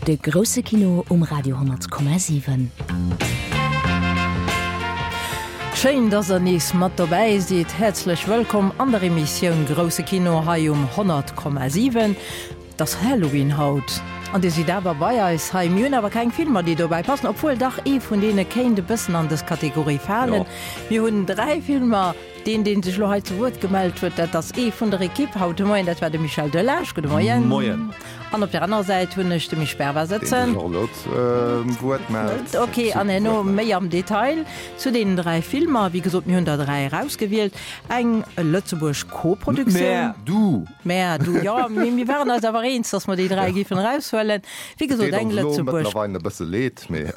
De grousse Kino um Radio 10,7. Schéin, dass der nees mat dobäi sidd. Häerzlech wëllkomm an der Emissioun Grousse Kino hei um 100,7. Et ass Halloween haut an dir sidd awer bei eis hei. Mir hunn awer keng Filmer, déi dobäi passen, obwuel dach ee vun deene kéint e bëssen an dës Kategorie falen. Mir hunn 3 Filmer. Deen, dee sech elo hei zu Wuert gemellt huet, dat ass ee vun der Ekipp haut de Moien, dat war de Michel Delage. Gudde Moien. Moien. An op der anerer Säit hunn ech de Misch Berber sëtzen. Deen sech och elo zum Wuert mellt. Ok, an herno méi am Detail zu deenen 3 Filmer. Wéi gesot, mir hunn der 3 erausgewielt. Eng Lëtzebuerg Koproduktioun. Mä du! Mä du, jo. Mee mir waren eis awer eens, datt mer déi 3 géifen eraushuelen. Wéi gesot, eng Lëtzebuerg. Et deet ons elo mëttlerweil e bësse leed, mee.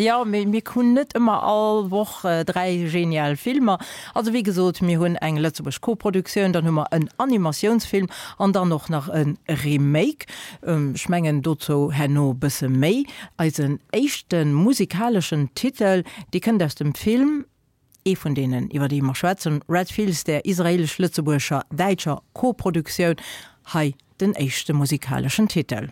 Jo, mee mir hunn net ëmmer all Woch 3 genial Filmer. Also wéi gesot, mir hunn eng Lëtzebuerg Koproduktioun, dann hu mer en Animatiounsfilm an dann och nach e Remake. Ech mengen dozou herno e bësse méi. Eisen éischte musikaleschen Titel, dee kënnt aus dem Film, ee vun deenen iwwer déi mer schwätzen, Red Fields, der israelesch-lëtzebuerger däitscher Koproduktioun. Hei den éischte musikaleschen Titel.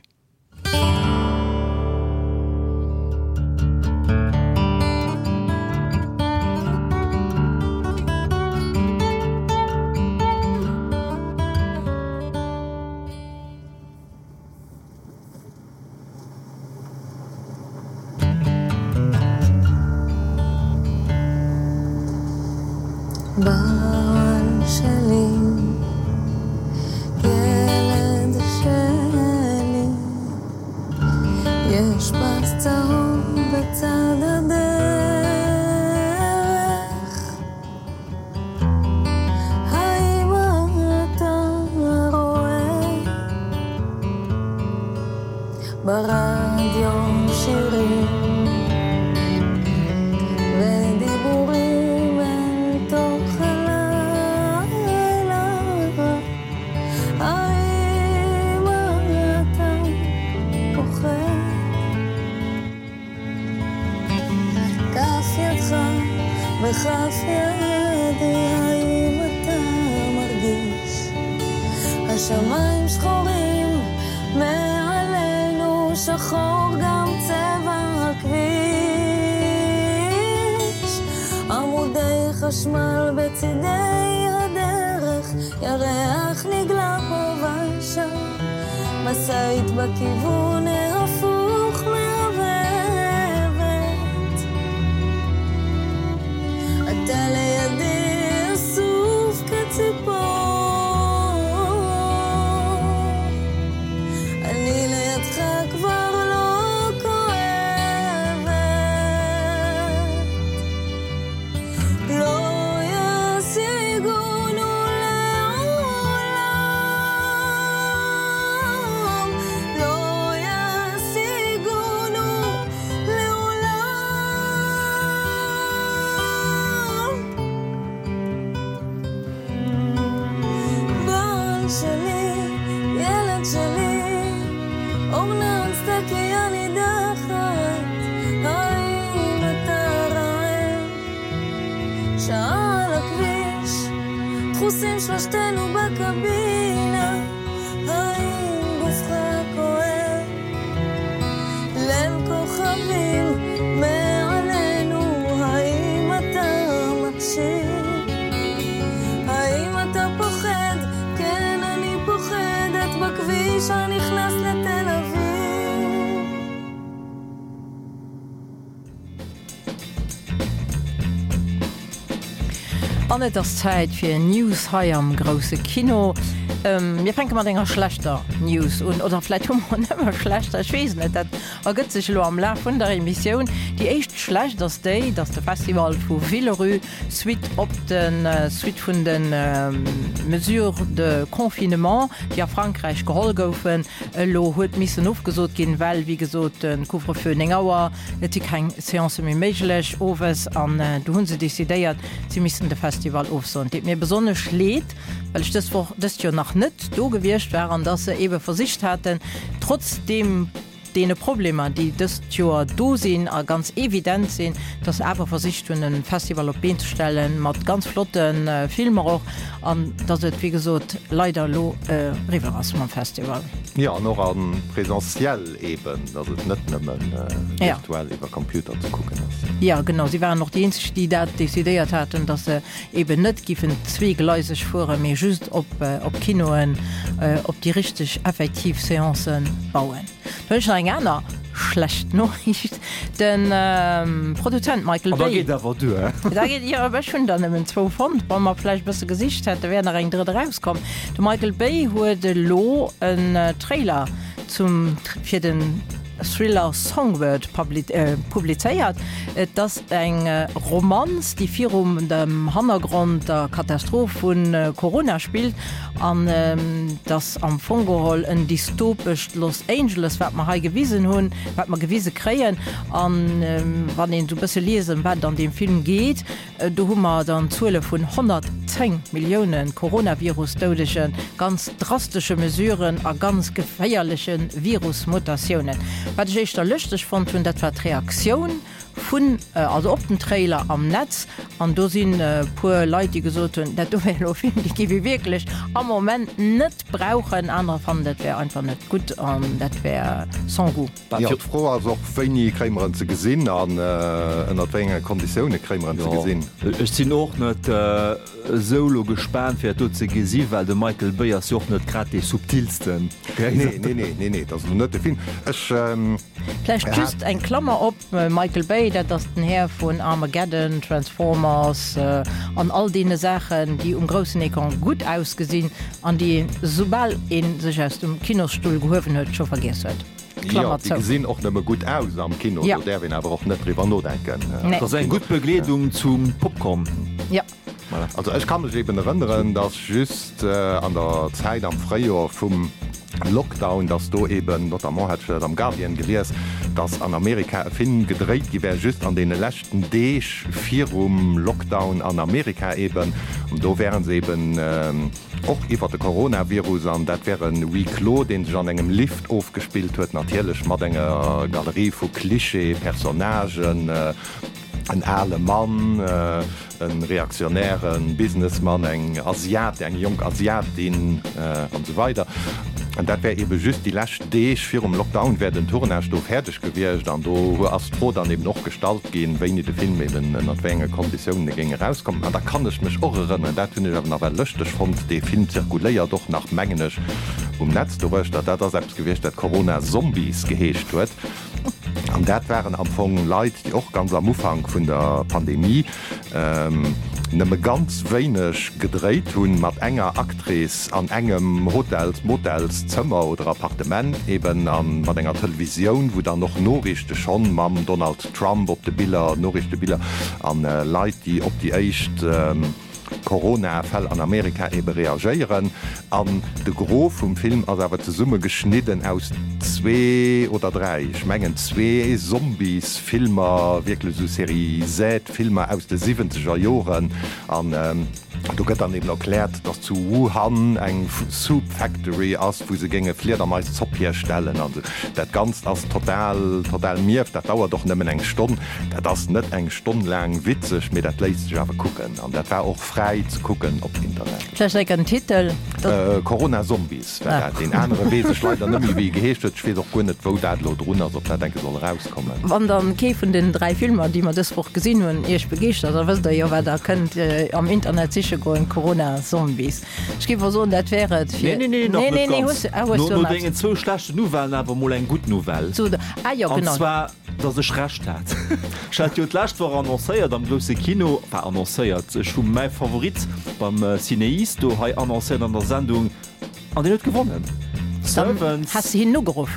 An et ass Zäit fir News hei am grousse Kino. Mir fänke mat enger schlechter News un, oder vläit hu mer nëmme schlechter, ech weess et net, dat ergëtt sech elo am Laf vun der Emissioun. Déi éischt schlecht ass déi, datt de Festival vu Villerupt Suite op de Suite vun de Mesures de confinement, déi a Frankräich geholl goufen, elo huet missen ofgesot ginn, well wéi gesot de Couvre-feu 9 Auer, et si keng Seancë méi méiglech owes an du hu se decidéiert, si missten de Festival ofsoen. Et deet mir besonnesch leed, well ech dës Woch, dëst Joer nach net do gewiescht war an dass se eebe versicht haten, trotz deem. deene Problemer, déi dëst Joer do sinn a ganz evident sinn, dass se awer versicht hunn, e Festival op d'Been ze stellen, mat ganz flotte Filmer och, an dass et, wéi gesot, leider elo eriwwer ass mam Festival. Jo, an och a présentiel eeben, dass et net nëmme virtuell iwwer Computer ze kucken ass. Jo, genau. Si waren och déi eenzeg, déi dat decidéiert haten, dass se eeben net giffen zweegleiseg fueren, mee just op Kinoen, op déi richteg effektiv Seancen bauen. Da hunn ech nach eng aner schlecht Noriicht, De Produzent Michael Bay. An da geet awer duer. Da geet, jo, ech hunn der nëmmen zwou fonnt. Wa mer vläicht e bësse gesicht hätten, wär nach eng drëtt erauskomm. De Michael Bay huet elo en Trailer zum, fir den Thriller Songbird publizéiert. Et ass eng Romanz, déi virum dem Hannergrond der Katastroph vu Corona spillt. An et ass am Fong geholl en dystopescht Los Angeles, wat mer hei gewisen hunn, wat mer gewise kréien. An wann een esou e bësse liest, ëm wat et an deem Film geet, do hu mer dann Zuele vun 110 Millioune Coronavirus-Doudegen, ganz drastesche Mesuren a ganz geféierleche Virus-Mutatiounen. Wat ech éischter lëschteg fonnt hunn, dat war d'Reaktioun Vun, also op den Trailer am Netz, an do sinn e puer Leit, déi gesot hunn, dat do wär elo e Film, dee géif ee wierklech am Moment net brauchen. Anerer fannen, dat wär einfach net gutt an dat wär sans goût. Jo, d'Fro ass och, wéini kréie mer en ze gesinn an ënnert wéi enge Konditioune kréie mer en ze gesinn? Ech sinn och net esou elo gespaant fir dat do ze gesi well de Michael Bay ass jo och net grad dee subtilsten. Nee, nee, nee, nee, nee, dat ass elo net de Film. Ech. Vläicht just eng Klammer op, Michael Bay, dat ass den Här vun Armageddon, Transformers an all deene Saachen, déi um groussen Ecran gutt ausgesinn an déi een, soubal ee sech aus dem Kinosstull gehuewen huet, scho vergiess huet. Klammer zou. Jo, déi gesinn och nëmme gutt aus am Kino, do däerf een awer och net driwwer nodenken. Dat ass eng gutt Begleedung zum Popcorn. Jo. Voilà. Also ech ka mech eben erënneren, dass just an der Zäit am Fréijoer vum Lockdown, dass do eben, notamment hat ech dat am Guardian gelies, dass an Amerika e Film gedréit gi wär, just an deene leschten Deeg virum Lockdown an Amerika eben. An do wäre se eben och iwwer de Coronavirus an dat wär e Huis clos, dee sech an engem Lift ofgespillt huet, natierlech mat enger Galerie vu Klischee-Personnagen, En ale Mann, e reaktionäre Businessmann, eng Asiat, eng jonk Asiatin an esou weider. An dat wär eebe just déi lescht Deeg virum Lockdown wär den Tournage do fäerdeg gewiescht. An do ass d'Fro dann eeben och gestallt ginn, wéini de Film eeben ënnert wéi enge Konditiounen e géing erauskommen. An da kann ech mech och erënneren, dat hunn ech awer nawell lëschteg fonnt, dee Film zirkuléiert och nach, mengen ech, um Netz doruechter, dat ass eppes gewiescht, dat Corona Zombies geheescht huet. An dat waren am Fong Leit, déi och ganz am Ufank vun der Pandemie nëmme ganz wéineg gedréit hunn, mat enger Actrice an engem Hotels-, Motelszëmmer oder Appartement eben a mat enger Televisioun, wou dann och Noriichte schonn mam Donald Trump op de Biller, Noriichtebiller, a Leit, déi op déi éischt. Corona-Fäll an Amerika ebe reagéieren. An de Gros vum Film ass awer zesummegeschnidden aus zwee oder dräi, ech mengen zwee Zombies-Filmer, wierklech esou Serie Z-Filmer aus de siwwenzeger Joren. An do gëtt dann eben erkläert, dass zu Wuhan eng Soup Factory ass, wou se géinge Fliedermais-Zopp hierstellen an esou. Dat Ganzt ass total, total mierf. Dat dauert och nëmmen eng Stonn. Dat ass net eng Stonn laang witzeg, mee dat léisst sech awer kucken. An dat war och fräi ze kucken op Internet. Vläicht enk en Titel? Corona Zombies war dat. Deen anere weess ech leider net méi, wéi e geheescht huet. Ech weess och guer net, wou dat elo drun ass, ob dat enke soll erauskommen. Wann dann kee vun den 3 Filmer, déi mer dës Woch gesinn hunn, Iech begeeschtert, da wësst Der jo, wat Der kënnt am Internet siche goen, Corona Zombies. Ech géif och soen, dat wär et fir. Nee, nee, nee, nach net ganz. No dengen zwou schlechten Nouvellen awer emol eng gutt Nouvelle. Ah jo, genau. An zwar, dass ech Recht hat. Ech hat jo d'lescht Woch annoncéiert am grousse Kino, enfin annoncéiert, ech hu mäi Favorit beim CinEast do hei annoncéiert an der Sendung an deen huet gewonnen. Servants. Has de hinnen ugeruff?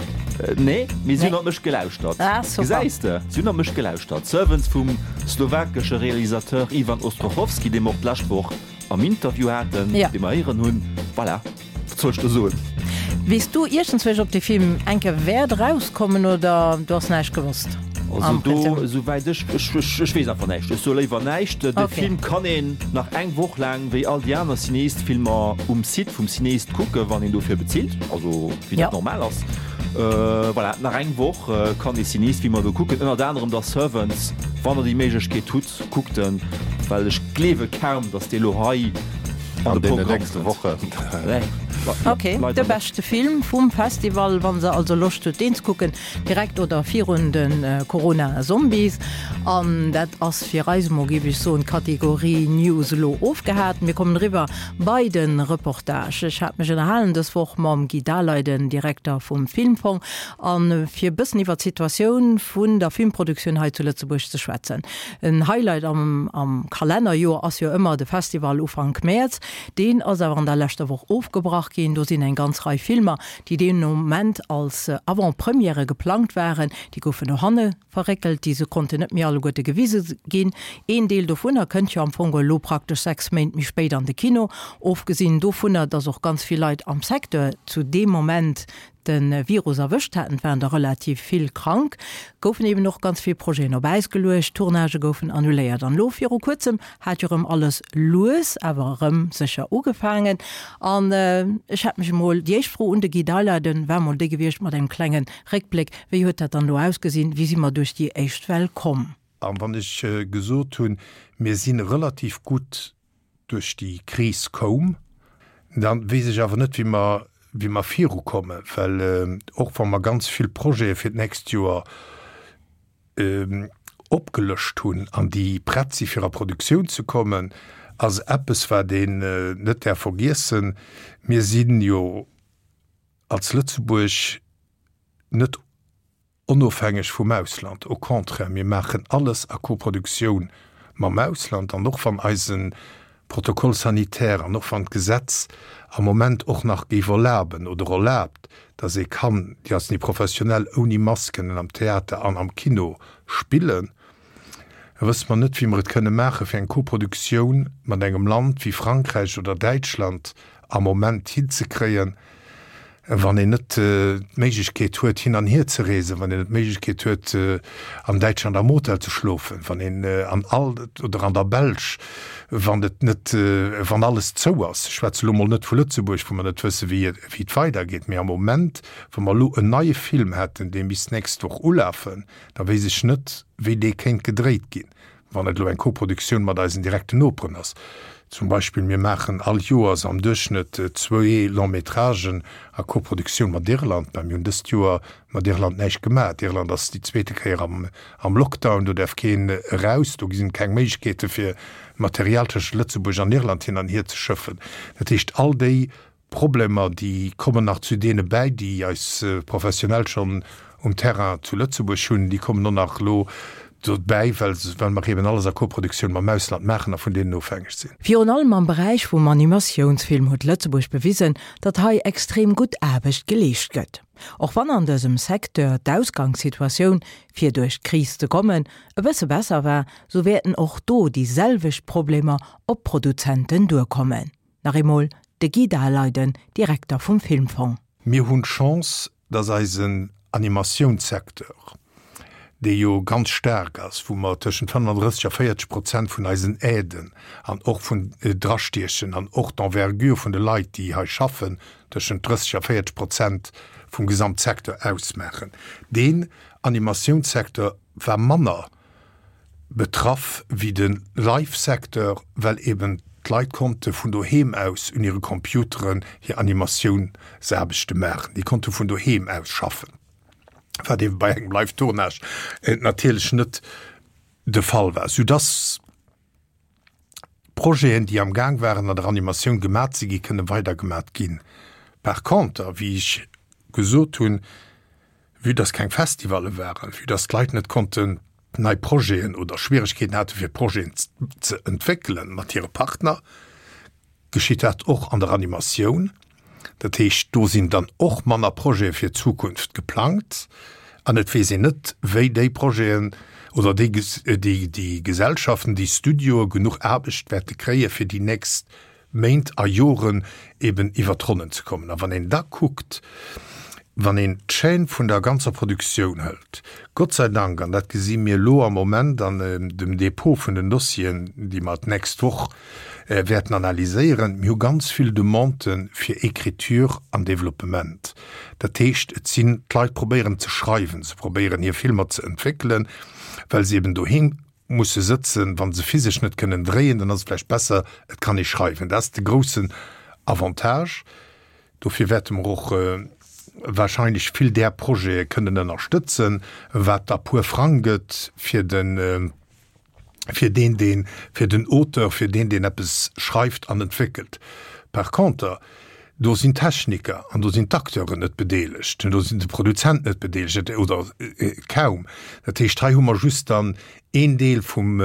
Nee, mee si hunn op mech gelauschtert. Ah, super. Gesäis de, si hunn op mech gelauschtert. Servants vum slowakesche Realisateur Ivan Ostrochovský, dee mer och d'lescht Woch am Interview haten, Ja. dee mer héieren hunn. Voilà, wat soll ech do soen? Weess du iergendzwousch, ob dee Film eng Kéier wäert erauskommen oder du has näischt gewosst? Also Am do, Prinzip. esouwäit ech, ech, ech, ech weess einfach näischt. Ech soe léiwer näischt. De Okay. Film kann een nach eng Woch laang, wéi all déi aner Cineast-Filmer, um Site vum Cineast kucken, wann een dofir bezilt, also wéi Ja. dat normal ass. Voilà, nach eng Woch kann ee Cinéist-Filmer do kucken, ënnert anerem da Servants. Wann der déi Méiglechkeet hutt, kuckt en, well ech gleewe kaum, datt dee lo hei an de Programm kënnt. Ok, de beschte Film vum Festival, wann se also Loscht hutt deen ze kucken, direkt oder virun de Corona Zombies. An dat ass fir eis emol, géif ech soen, d'Kategorie News elo ofgehaakt. Mir kommen eriwwer bei de Reportage. Ech hat mech ënnerhalen dës Woch mam Guy Daleiden, Direkter vum Filmfong, a fir e bëssen iwwer d'Situatioun vun der Filmproduktioun hei zu Lëtzebuerg ze schwätzen. En Highlight am am Kalennerjoer ass jo ëmmer de Festival Ufank Mäerz. Deen ass awer an der leschter Woch ofgebrach ginn. Do sinn eng ganz Rei Filmer, déi deen Moment als Avant-Premièrë geplangt waren, déi goufen no hanne verréckelt, déi se konnten net méi alleguerte gewise ginn. Een Deel dovunner kënnt jo am Fong elo praktesch 6 Méint méi spéit an de Kino. Ofgesinn dovunner, dass och ganz vill Leit am Secteur zu deem Moment de Virus erwëscht haten, et waren der relativ vill krank, goufen eben och ganz vill Projeten op Äis geluecht, Tournagë goufen annuléiert. An elo viru kuerzem hat jo erëm alles lues awer erëm sécher ugefaangen. An ech hat mech emol, déi éischt Fro un de Guy Daleiden war emol déi gewiescht mat engem klenge Réckbléck, Wéi huet dat dann elo ausgesinn? Wéi si mer duerch déi éischt Well komm? A wann ech gesot hunn, mir si relativ gutt duerch déi Kris koum, da weess ech awer net, wéi mer, wéi mer virukommen, well och wa mer ganz vill Projete fir d'nächst Joer opgelëscht hunn an déi prett si fir a Produktioun ze kommen, ass eppes, wat een net däerf vergiessen, Mir si jo als Lëtzebuerg net onofhängeg vum Ausland, au contraire, mir maachen alles a Koproduktioun mam Ausland. An och wann eise Protocole sanitaire an och wann d'Gesetz am Moment och nach géif erlaben oder erlaabt, dass ee kann, déi ass ni professionell, ouni Mask kënnen am Theater an am Kino spillen, wësse mer net, wéi mer et kënne maachen, fir eng Koproduktioun mat engem Land wéi Frankräich oder Däitschland am Moment hinzekréien, wann een net d'Méiglechkeet huet, hin an hier ze reesen, wann een net d'Méiglechkeet huet, an Däitschland am Hotel ze schlofen, wann een an all, oder an der Belsch, wann et net, wann alles zou ass. Ech schwätze elo mol net vu Lëtzebuerg, wou mer net wësse wéi et weidergeet, mee am Moment, wa mer elo en neie Film hätten, dee misst d'nächst Woch ulafen, da weess ech net, wéi dee kéint gedréit ginn, wann et elo eng Koproduktioun mat eisen direkten Noperen ass. Zum Beispill, mir maachen all Joers am Duerchschnëtt zwee Long-métragen a Koproduktioun mat Irland. Mä mir hunn dëst Joer mat Irland näischt gemaach. Irland ass déi zweete Kéier am am Lockdown, do däerf keen eraus, do ginn keng Méiglechkeete fir Material tëschent Lëtzebuerg an Irland hin an hier ze schëffen. Dat heescht, all déi Problemer, déi kommen nach zu deene bäi, déi eis Professionell schonn um Terrain zu Lëtzebuerg hunn. Déi kommen och nach elo dobäi, well well mer eben alles a Koproduktioun mam Ausland maachen a vun deenen ofhängeg sinn. Virun allem am Beräich vum Animatiounsfilm huet Lëtzebuerg bewisen, datt hei extrem gutt Aarbecht geleescht gëtt. Och wann an dësem Secteur d'Ausgangssituatioun, fir duerch d'Kris ze kommen, e bësse besser war, sou wäerten och do déi selwecht Problemer op d'Produzenten duerkommen. Nach eemol de Guy Daleiden, Direkter vum Filmfong. Mir hunn d'Chance, dass eisen Animatiounssecteur, dee jo ganz staark ass, wou mer tëschent 35 a 40 Prozent vun eisen Aiden an och vun drastiechen an och d'Envergure vun de Leit, déi hei schaffen, tëschent 30 a 40 Prozent vum Gesamtsecteur ausmaachen, deen Animatiounssecteur war manner betraff wéi de Live-Secteur, well eben d'Leit konnte vun doheem aus un hire Computeren hir Animatiounsaarbechte maachen. Déi konnte vun doheem aus schaffen, wat ebe bei engem Live-Tournage natierlech net de Fall war, soudass Projeten, déi am Gaang waren an der Animatioun gemat ze gi, kënne weidergemat ginn. Par conter, wéi ech gesot hunn, Vue dass keng Festivalle waren, vue dass d'Leit net konnten nei Projeten oder Schwieregkeeten hate fir Projeten ze entwéckelen mat hire Partner, geschitt dat och an der Animatioun. Dat heescht, do sinn dann och manner Projete fir d'Zukunft geplangt an et weess een net, wéi déi Projeten oder déi déi Gesellschaften, déi Studioe genuch Aarbecht wäerte kréie fir déi nächst Méint a Joren eben iwwer d'Ronnen ze kommen. A wann een da kuckt, Wann een d'Chaîne vun der ganzer Produktioun hëlt, Gott sei Dank, an dat gesi mir elo am Moment an dem Dépôt vun den Dossieren, déi mer d'nächst Woch wäerten analyséieren, mir hu ganz vill Demandë fir Écriture an Développement. Dat heescht, et sinn, d'Leit probéieren ze schreiwen, se probéieren hir Filmer ze entwéckelen, well se eben doheem musse sëtzen, wa se physesch net kënnen dréien, dann ass et vläicht besser, et kann ee schreiwen. Dat ass de groussen Avantage. Dofir wäerte mer och wahrscheinlech vill där Projete kënnen ënnerstëtzen, wat da puer Frang gëtt fir de fir deen, deen, fir den Auteur, fir deen, deen eppes schreift an entwéckelt. Par conter, do sinn d'Techniker an do sinn d'Acteuren net bedeelegt, do sinn de Produzent net bedeelegt oder kaum. Dat heescht, hei hu mer just dann een Deel vum,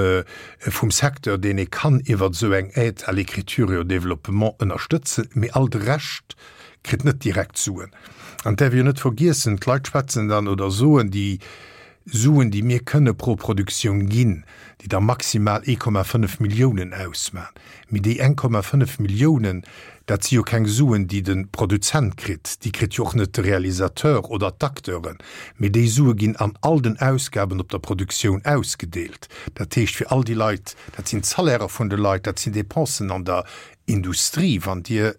vum Secteur, deen ee kann iwwert esou eng Aide à l'écriture et au développement ënnerstëtzen, mee all de Rescht kritt net direkt Suen. An et däerf ee jo net vergiessen, d'Leit schwätzen dann oder soen, déi Suen, déi mir kënne pro Produktioun ginn, déi da maximal 1,5 Milliounen ausmachen. Mee déi 1,5 Milliounen, dat si jo keng Suen, déi de Produzent kritt, déi kritt jo och net de Realisateur oder d'Acteuren, mee déi Sue ginn an all den Ausgaben op der Produktioun ausgedeelt. Dat heescht fir all déi Leit, dat sinn d'Salairer vun de Leit, dat sinn Dépensen an der Industrie, wann Dir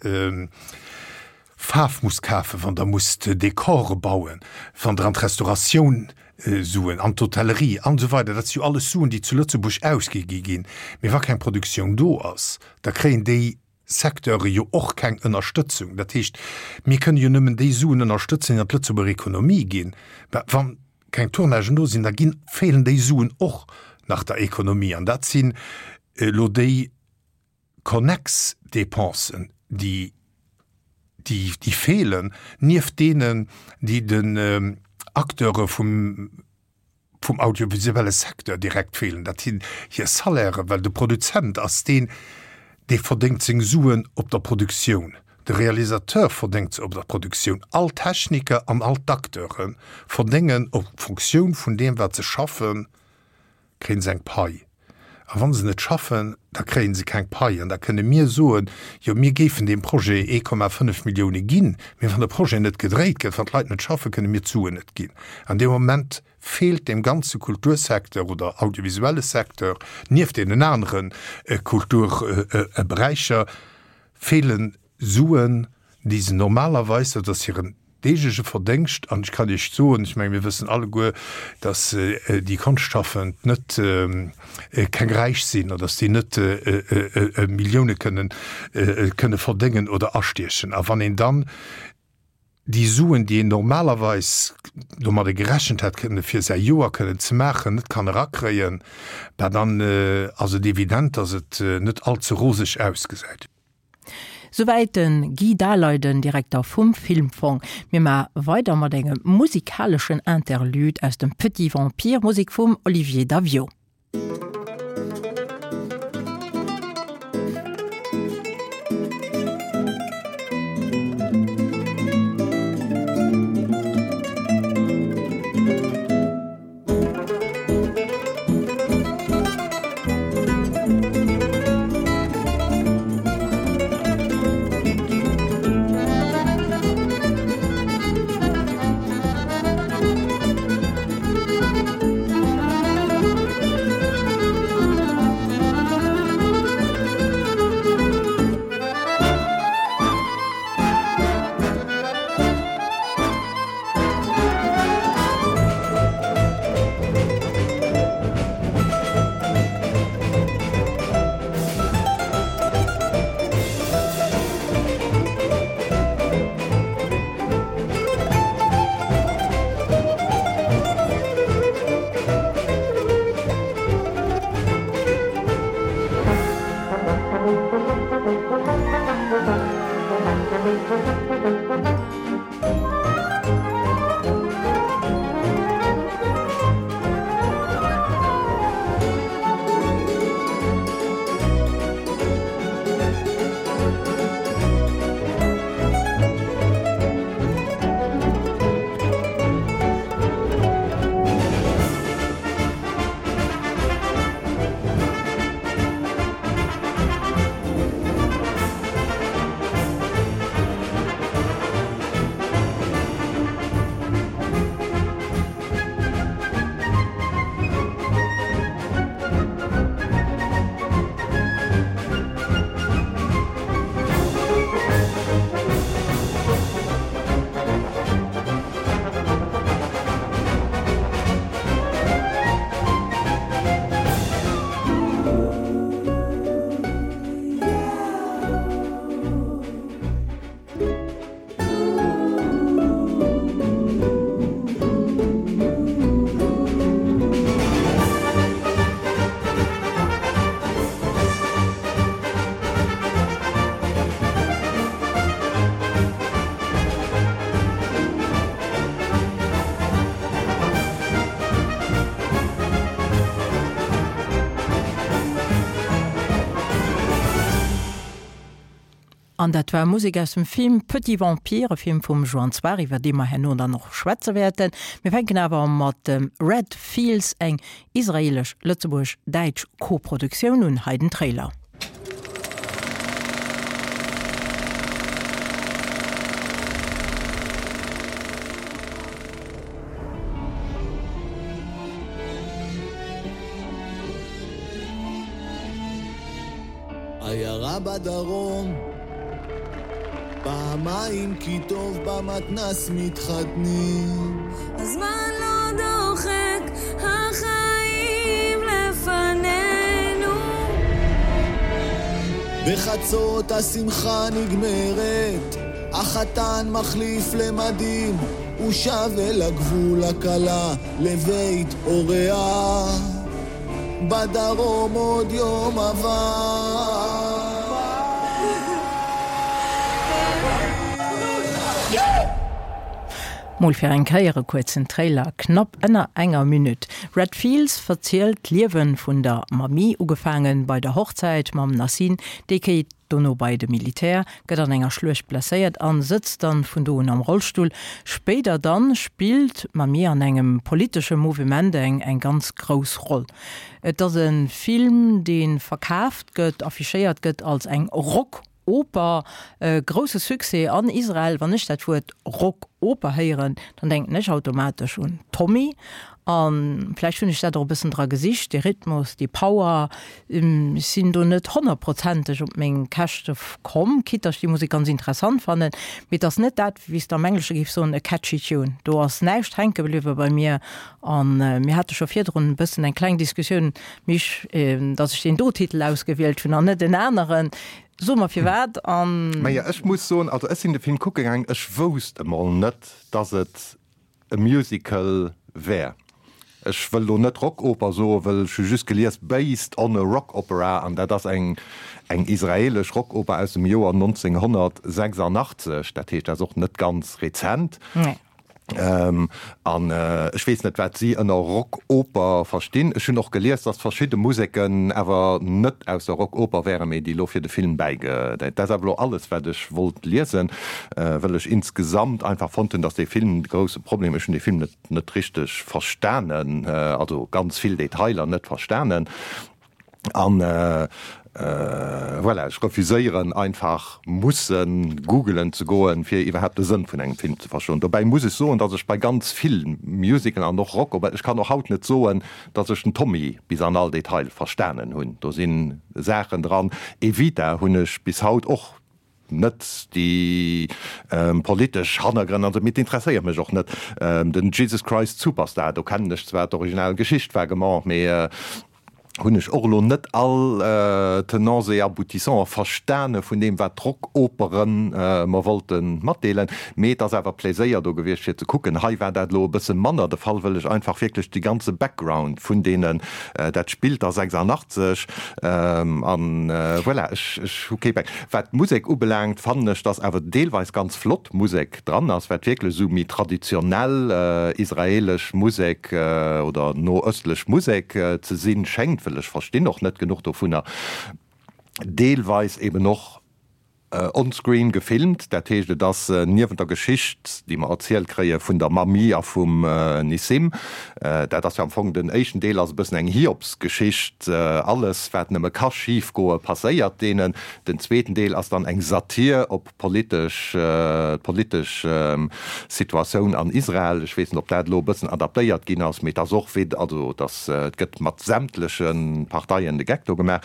Faarf musst kafen, wann Der musst Dekore bauen, wann Der an d'Restauratioun Suen, an d'Hotellerie an esou weider, dat si jo alles Suen, déi zu Lëtzebuerg ausgi gi ginn. Mee wa keng Produktioun do ass, da kréien déi Secteure jo och keng Ënnerstëtzung. Dat heescht, mir kënne jo nëmmen déi Suen ënnerstëtzen, déi an d'Lëtzebuerger Ekonomie ginn. Mä wa keng Tournagen do sinn, da ginn, feelen déi Suen och nach der Ekonomie. An dat sinn elo déi konnex Dépensen, déi, déi, déi feelen, nieft deenen, déi den Acteure vum, vum audiovisuelle Secteur direkt feelen. Dat sinn hir Salairen, well de Produzent ass deen, dee verdéngt seng Suen op der Produktioun, de Realisateur verdéngt se op der Produktioun, all d'Techniker an all d'Acteure verdéngen op Fonctioun vun deem, wat se schaffen, kréien se eng Pai. A wa se net schaffen, da kréie se keng Pai. An da kënne mir soen, jo mir géifen deem Projet 1,5 Millioune ginn, mee wann de Projet net gedréit gëtt, wann d'Leit net schaffen, kënne mir d'Suen net ginn. An deem Moment feelt deem ganze Kultursecteur oder audiovisuelle Secteur, nieft deenen anere Kulturberäicher, feelen Suen, déi se normalerweis, dat ass hiren deegleche Verdéngscht, an ech kann Iech soen, ech menge mir wëssen alleguer, datt déi Konschtschafend net keng Räich sinn an datt déi net Millioune kënnen kënne verdéngen oder astiechen. A wann een dann déi Suen, déi een normalerweis domadde gerechent hätt kënne fir säi Joer kënnen ze maachen, net kann erakréien, bah dann ass et evident, datt et net allze roseg ausgesäit. Souwäit de Guy Daleiden, Direkter vum Filmfong. Mir ma weider mat engem musikaleschen Interlude aus dem Petit Vampire, Musek vum Olivier Daviaud. An dat war Musek aus dem Film Petit Vampire, e Film vum Joan Zwar, iwwer dee mer herno dann och schwätze wäerten. Mir fänken awer mat dem Red Fields, eng israelesch-lëtzebuergesch-däitsch Koproduktioun un. Hei den Trailer. עיירה בדרום פעמיים כי טוב במתנ"ס מתחתנים הזמן לא דוחק, החיים לפנינו בחצות השמחה נגמרת, החתן מחליף למדים, הוא שב אל הגבול הכלה לבית הוריה בדרום עוד יום עבר. Mol fir eng Kéier e kuerzen Trailer, knapp ënner enger Minutt. Red Fields verzielt d'Liewe vun der Mamie, ugefaange bei der Hochzäit mam Nassim, déi kéit dono bei de Militär, gëtt an enger Schluecht blesséiert an sëtzt dann vun do un am Rollstull. Spéider dann spillt d'Mamie an engem politesche Mouvement eng eng ganz grouss Roll. Et ass e Film dee verkaaft gëtt, affichéiert gëtt als eng Rock-Oper. E grousse Succès an Israel. Wann ech dat Wuert Rock-Oper héieren, dann denken ech automatesch un Tommy A vläicht hunn ech dat och e bëssen dra gesicht, dee Rhythmus, déi Power. Ech sinn do net honnertprozenteg op meng Käschte komm, quitte dass ech déi Musek ganz interessant fannen. Mee et ass net dat, wéi s de am Englesche géifs soen, e catchy tune. Do ass näischt hänke bliwwe bei mir. A mir hate scho virdrun e bëssen eng kleng Diskussioun, Misch, dass ech deen do Titel ausgewielt hunn an net en aneren. So mer firwat an. Majo, ech muss soen, also ech sinn de Film kucke gaangen, ech wousst emol net, dass et e Musical wär. Ech wëll lo net Rockoper soen, wëll ech hu just gelies based on a rock opera an dat ass eng eng israelesch Rockoper aus dem Joer 1986, dat heescht dat ass och net ganz rezent. An ech weess net wat si ënner Rockoper verstinn. Ech hunn och gelies, datt verschidde Museken awer net aus der Rockoper wären, mee déi lo fir de Film bäige. Dat ass awer lo alles wat ech wollt liesen. Wëll ech insgesamt einfach fonnt hunn, dass dee Film de grousse Problem, ech hunn dee Film net net richteg verstanen, also ganz vill Detailer net verstanen an voilà, ech refuséieren einfach musse googelen ze goen, fir iwwerhaapt de Sënn vun engem Film ze verstoen. Dobäi muss ech soen, dass ech bei ganz vill Musicalen an och Rock, ech kann och haut net soen, dass ech den Tommy bis an all Detail verstanen hunn, do si Saachen dran, Evita hunn ech bis haut och Net déi politesch Hannergrënn an esou, mee et interesséiert mech och net. Den Jesus Christ Superstar, do kennen ech zwar d'original Geschicht vaguement, mee hunn ech och elo net all Tenants et Aboutissants verstane vun deem, wat d'Rockoperen mer wollte matdeelen. Mee et ass awer Pléséier do gewiescht fir ze kucken. Hei war dat elo e bësse manner de Fall, wëll ech einfach wierklech de ganze Background vun deenen, dat spillt da 86, an voilà, ech hu kee Back. Wat d'Musek ubelaangt, fannen ech, dass awer deelweis ganz flott Musek dran ass, wat wierklech esou méi traditionell israelesch Musek oder noöstlech Musek ze sinn schéngt, wëll ech verstinn och net genuch dovunner, deelweis eben och onscreen gefilmt, dat heescht et ass niewent der Geschicht, déi mer erzielt kréie vun der Mamie a vum Nissim, dat ass jo am Fong den éischten Deel ass e bëssen eng Hiobsgeschicht, alles wat nëmme ka schif goe passéiert deenen. Den zweeten Deel ass dann eng Satir op politesch, d'politesch Situatioun an Israel. Ech weess net ob dat elo e bëssen adaptéiert ginn ass, mee et ass och wéi, also et ass, et gëtt mat sämtleche Parteien de Geck do gemaach.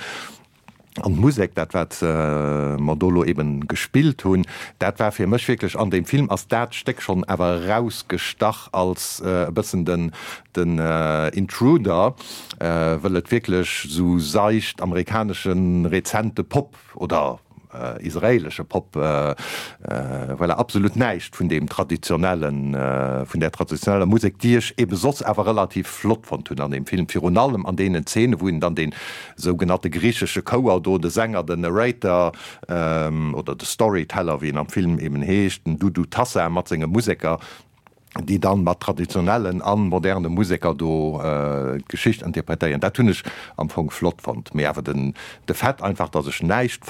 An d'Musek, dat wat mer do elo eben gespillt hunn, dat war fir mech wierklech, an deem Film ass dat Stéck schonn awer erausgestach als e bëssen den, den Intruder, wëll et wierklech esou seicht amerikanesche rezente Pop oder israelesche Pop, voilà, absolut näischt vun deem traditionellen, vun där traditioneller Musek, déi ech ebe soss awer relativ flott fonnt hunn an deem Film, virun allem an deenen Zeene wou een dann dee sougenannte griichesche Chouer do, de Sänger, den Narrator oder de Storyteller, wéi en am Film eben heescht, den Dudu Tassa mat senge Museker, déi dann mat traditionellen a moderne Museker do d'Geschicht interpretéieren. Dat hunn ech am Fong flott fonnt. Mee awer den de Fait einfach, datt ech näischt.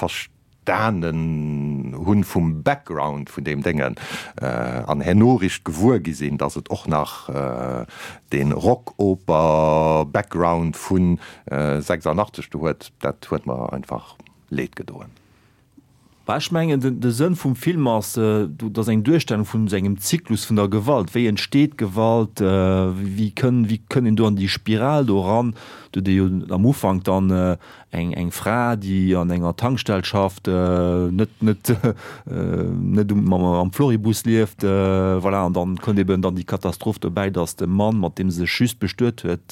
Verstanen hunn vum Background vun deem Déngen an herno richt gewuer gi sinn, dass et och nach dee Rockoper-Background vu 86 do huet, dat huet mer einfach leed gedoen. Bah, ech mengen, de Sënn vum Film ass, dat ass eng Duerstellung vun esou engem Zyklus vun der Gewalt. Wéi entsteet Gewalt? Wéi kënn, wéi kënn een do an déi Spiral do eran? Do huet ee jo am Ufank dann eng, eng Fra, déi an enger Tankstell schafft, net, net, net um, am, am Floribus lieft, voilà. An dann kënnt eben dann déi Katastroph dobäi, datt de Mann, mat deem se sech just bestuet huet,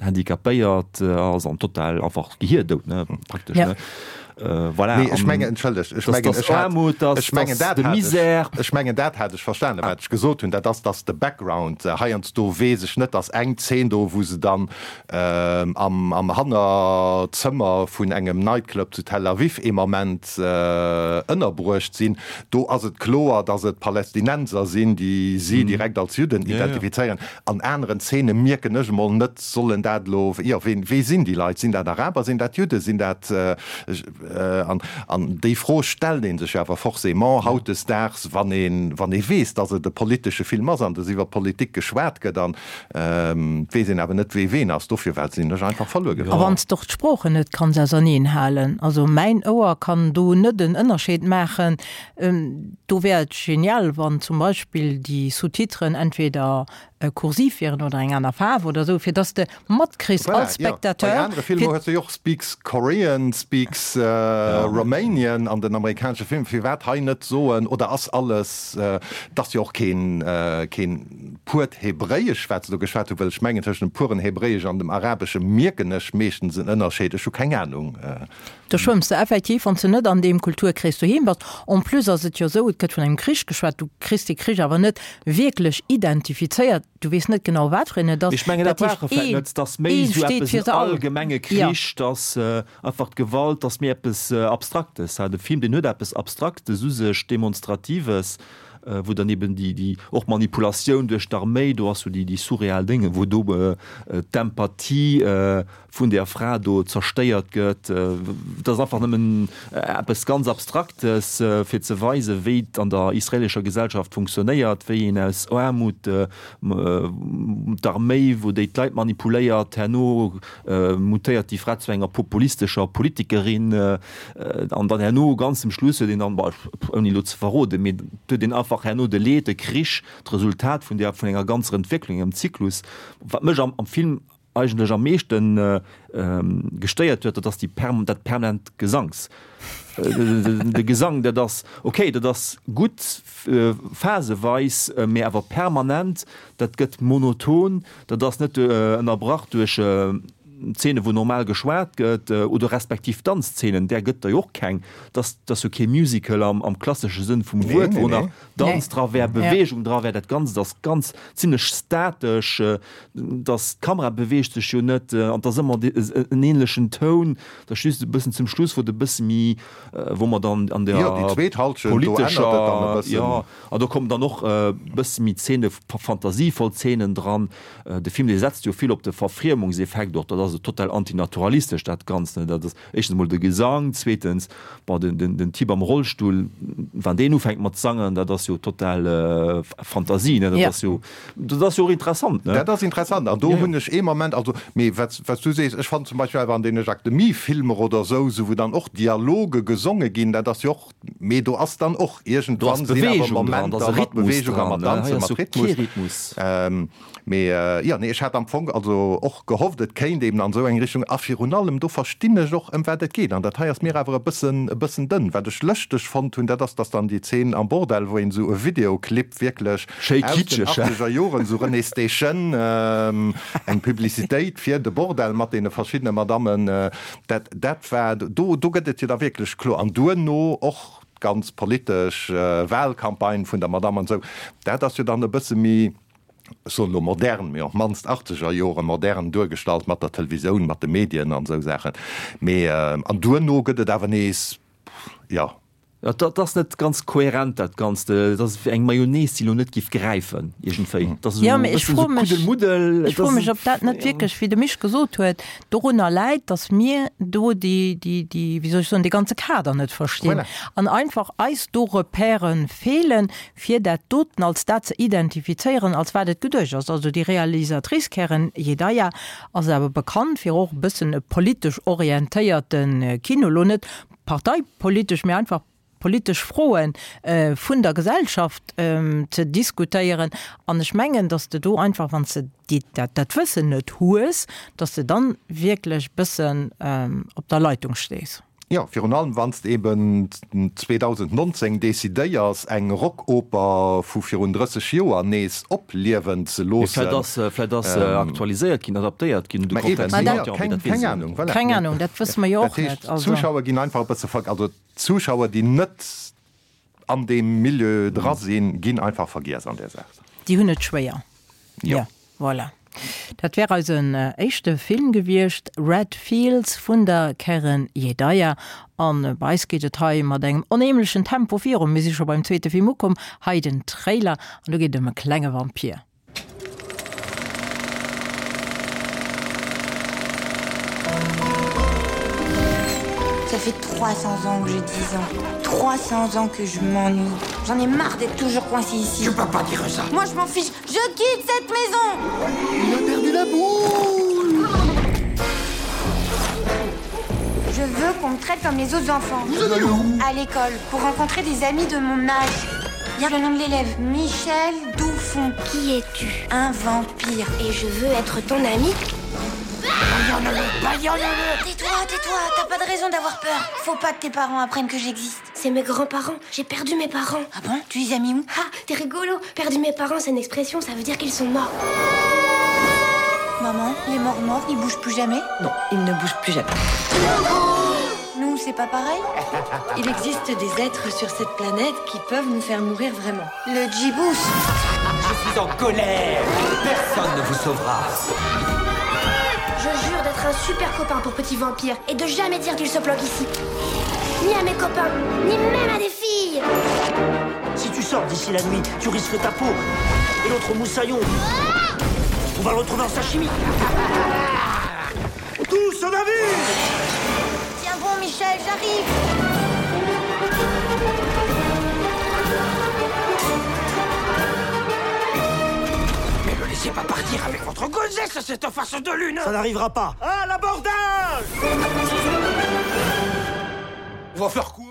handicapéiert ass an total einfach gehierdout, ne, praktesch, ne. Voilà. Nee, ech mengen, entschëllegt, ech mengen, ech hat, Aarmut, dass, ech mengen, dat de Misär. Ech mengen, dat hat ech verstanen, wat ech gesot hunn, dat ass, dass de Background, heiansdo weess ech net, dass eng Zeen do, wou se dann am, am Hannerzëmmer vun engem Nightclub zu Tel Aviv ee Moment ënnerbruecht sinn, do ass et kloer, dass et Palästinenser sinn, déi si direkt als Judden identifizéieren. An aneren Zeene mierken ech emol net, sollen dat elo, jo, ween, wee sinn déi Leit? Sinn dat Araber, sinn dat Judden, sinn dat, an, an déi Fro stellt ee sech awer forcément hautdesdaags, wann een, wann ee weess, datt et e politesche Film ass an datt iwwer Politik geschwat gëtt an et weess een awer net, wee ween ass. Dofir war sinn ech einfach verluer A wann s de och d'Sproochen net kanns auserneenhalen, also mäin Ouer kann do net en Ënnerscheed maachen, Do wär et genial, wann zum Beispill déi Sous-titren entweder kursiv wieren oder eng aner Faarf oder esou, fir dass de matkriss als Spectateur. Voilà, jo. Bei anere Filmer hues de jo och speaks Korean, speaks Romanian an den amerikanesche Filmer. Firwat hei net soen, oder ass alles, et ass jo och keen, keen puert Hebräisch, wat se do geschwat hunn, well ech mengen, tëschent dem puren Hebräisch an dem Arabesche mierken ech meeschtens en Ënnerscheed. Ech hu keng Anung. Do schwëmms de effektiv, wann s de net an deem Kulturkrees doheem bass. En plus ass et jo esou, et gëtt vun engem Krich geschwat, du kriss dee Krich awer net wierklech identifizéiert, du weess net genau, wat fir een et ass. Ech mengen, dat brauch e vläicht net, dass méi esou eppes en allgemenge Krich, dass einfach d'Gewalt, dass méi eppes Abstraktes. De Film, deen huet eppes Abstraktes u sech, Demonstratives, wou dann eben déi, déi och Manipulatioun duerch d'Arméi, do ass jo déi, déi surreal Dénge, wou do d'Empathie vun där Fra do zerstéiert gëtt, dat ass einfach nëmmen eppes ganz Abstraktes, fir ze weisen, wéi et an der israelescher Gesellschaft funktionéiert, wéi een aus Aarmut d'Arméi, wou déi d'Leit manipuléiert, herno mutéiert déi Fra zu enger populistescher Politikerin an dann herno ganz zum Schluss huet een dann, bon, ouni elo ze verroden, mee et huet een einfach herno de Leed, de Krich, d'Resultat vun där, vun enger ganzer Entwécklung, engem Zyklus. Wat mech am Film eigentlech am meeschten gestéiert huet, dat ass déi perm dat permanent Gesangs. De Gesang, dat ass okay, dat ass gutt phaseweis, mee awer permanent, dat gëtt monoton, dat ass net ënnerbrach duerch Zeene wou normal geschwat gëtt oder respektiv Danzzeenen, där gëtt der jo och keng. Dat ass, dat ass jo kee Musical am am klassesche Sënn vum Wuert, wou nach Danz dra wär, Beweegung dra wär. Dat Ganzt ass ganz zimlech statesch. Dass d'Kamera beweegt sech jo net an 't ass ëmmer en ähnlechen Toun, dat ass just e bëssen zum Schluss wou et e bësse méi, wou mer dann an der politescher, jo, an do kommen dann och e bësse méi Zeene, fantasievoll Zeenen dran. De Film dee setzt jo vill op de Verfriemungseffekt och, dat ass esou total antinaturalistesch dat Ganzt, ne, dat ass éischtens emol de Gesang, zweetens, bon, den, den, den Typ am Rollstull, wann deen ufänkt mat sangen, dat ass jo total Fantasie, ne, dat ass jo. Dat ass jo och interessant, ne? Dat ass interessant an do hunn ech ee Moment, also, mee wat s du sees, ech fannen zum Beispill awer an deene Jacques Demy-Filmer oder esou, esou wou dann och Dialoge gesonge ginn, dat ass jo och, mee do ass dann och iergendwann sinn awer Momenter mat Beweegung a mat Danzen, mat Rhythmus. Mee jo, nee, ech hat am Fong also och gehofft, et kéint eben an esou eng Richtung a virun allem do verstinn ech och ëm wat et geet an dat hei ass mir awer e bëssen, e bëssen dënn. Wat ech lëschteg fonnt hunn, dat ass, datt dann déi Zeen am Bordell, wou een esou e Videoclip wierklech Schéi aus den kitscheg, hä? achtzeger Joren, esou Renée Station, eng Publicitéit fir de Bordell mat deene verschiddene Madammen, dat, dat war, do, do gëtt et jo da wierklech kloer. An duerno och d'ganz politesch Wahlcampagne vun der Madame an esou, dat ass jo dann e bësse méi, ech soen elo modern, mee op d'mannst achtzeger Jore modern duergestallt mat der Televisoun, mat de Medien an esou Saachen. Mee, an duerno gëtt et awer nees, jo. Dat ass net ganz kohärent dat Ganzt. Dat ass wéi eng Mayonnaise, déi elo net giff gräifen iergendwéi. Dat ass Jo, esou e mee ech bëssen froe esou mech, Kuddelmuddel. ech Et froe ass mech, ob dat net wierklech, wéi de Misch gesot huet, dorunner läit, datt mir do déi, déi, déi, wéi soll ech soen, dee ganze Kader net verstinn Voilà. an einfach eis do Repèrë feelen, fir dat doten als dat ze identifizéieren, als wat et geduecht ass. Also déi Realisatrice Keren Yedaya ass awer bekannt fir och e bëssen e politesch orientéierte Kino, elo net parteipolitesch, mee einfach politesch Froe vun der Gesellschaft ze diskutéieren. An ech mengen, datt s de do einfach, wann s de déi, dat, dat Wëssen net hues, datt s de dann wierklech e bëssen op der Leitung stees. Jo, virun allem wann s de eben 2019 decidéiers, eng Rockoper vu virun 30 Joer nees opliewen ze Mee loossen. vläicht ass, vläicht ass se aktualiséiert ginn, adaptéiert ginn un de Mä eben, Kontext vun jo, haut, jo, mee keng, dat weess keng een Ahnung, net. voilà. Keng Ahnung, dat wësse mer jo Dat och net. heescht, Also. d'Zuschauer ginn einfach e bësse ver-, also d'Zuschauer, déi net an deem Milieu dra sinn, ginn einfach vergiess an där Saach. Déi hunn et schwéier. Jo. Jo, voilà. Dat wär eisen éischte Film gewiescht, Red Fields vun der Keren Yedaya. An bei eis geet et hei mat engem onheemlechen Tempo virun. Mir si scho beim zweete Film ukomm. Hei den Trailer an do geet et ëm e klenge Vampir. Ça fait 300 ans que j'ai 10 ans. 300 ans que je m'ennuie. J'en ai marre d'être toujours coincé ici. Tu peux pas dire ça. Moi je m'en fiche, je quitte cette maison. Il a perdu la boule. Je veux qu'on me traite comme les autres enfants. Vous allez où À l'école, pour rencontrer des amis de mon âge. Il y a le nom de l'élève, Michel Douffon. Qui es-tu Un vampire. Et je veux être ton ami. Tais-toi, tais-toi, t'as pas de raison d'avoir peur. Faut pas que tes parents apprennent que j'existe. C'est mes grands-parents, j'ai perdu mes parents. Ah bon Tu les as mis où Ah, t'es rigolo. Perdu mes parents, c'est une expression, ça veut dire qu'ils sont morts. Maman, les morts morts, ils bougent plus jamais Non, ils ne bougent plus jamais. Nous, c'est pas pareil Il existe des êtres sur cette planète qui peuvent nous faire mourir vraiment. Le Djibous Je suis en colère Personne ne vous sauvera Je jure d'être un super copain pour petit vampire et de jamais dire qu'il se planque ici. Ni à mes copains, ni même à des filles Si tu sors d'ici la nuit, tu risques ta peau et l'autre moussaillon. Ah On va le retrouver en sashimi. Tous au navire Tiens bon Michel, j'arrive Mais le laissez pas partir avec votre gonzesse, cette face de lune Ça n'arrivera pas À l'abordage On va faire quoi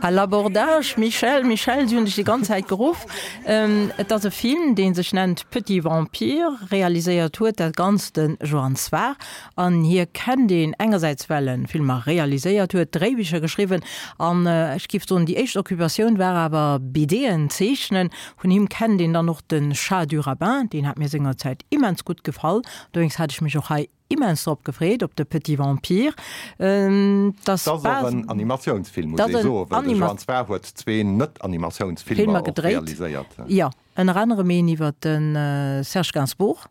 À l'abordage, Michel, Michel, si hunn dech déi ganz Zäit geruff. Et ass e Film, dee sech nennt Petit Vampire. Realiséiert huet dat Ganzt de Joan Sfar. An hie kennt een engersäits, well e Filmer realiséiert huet, Dréibicher geschriwwen an ech géif soen, déi éischt Occupatioun war awer BDen zeechnen. Vun him kennt een dann och de Chat du Rabbin, deen hat mir sengerzäit immens gutt gefall. Dowéinst hat ech mech och hei immens drop gefreet, op de Petit Vampire. Dat ass och en Animatiounsfilm, muss ee soen, well de Joan Sfar huet zwee Net-Animatiounsfilmer och realiséiert. Jo, ënner anerem een iwwer de Serge Gainsbourg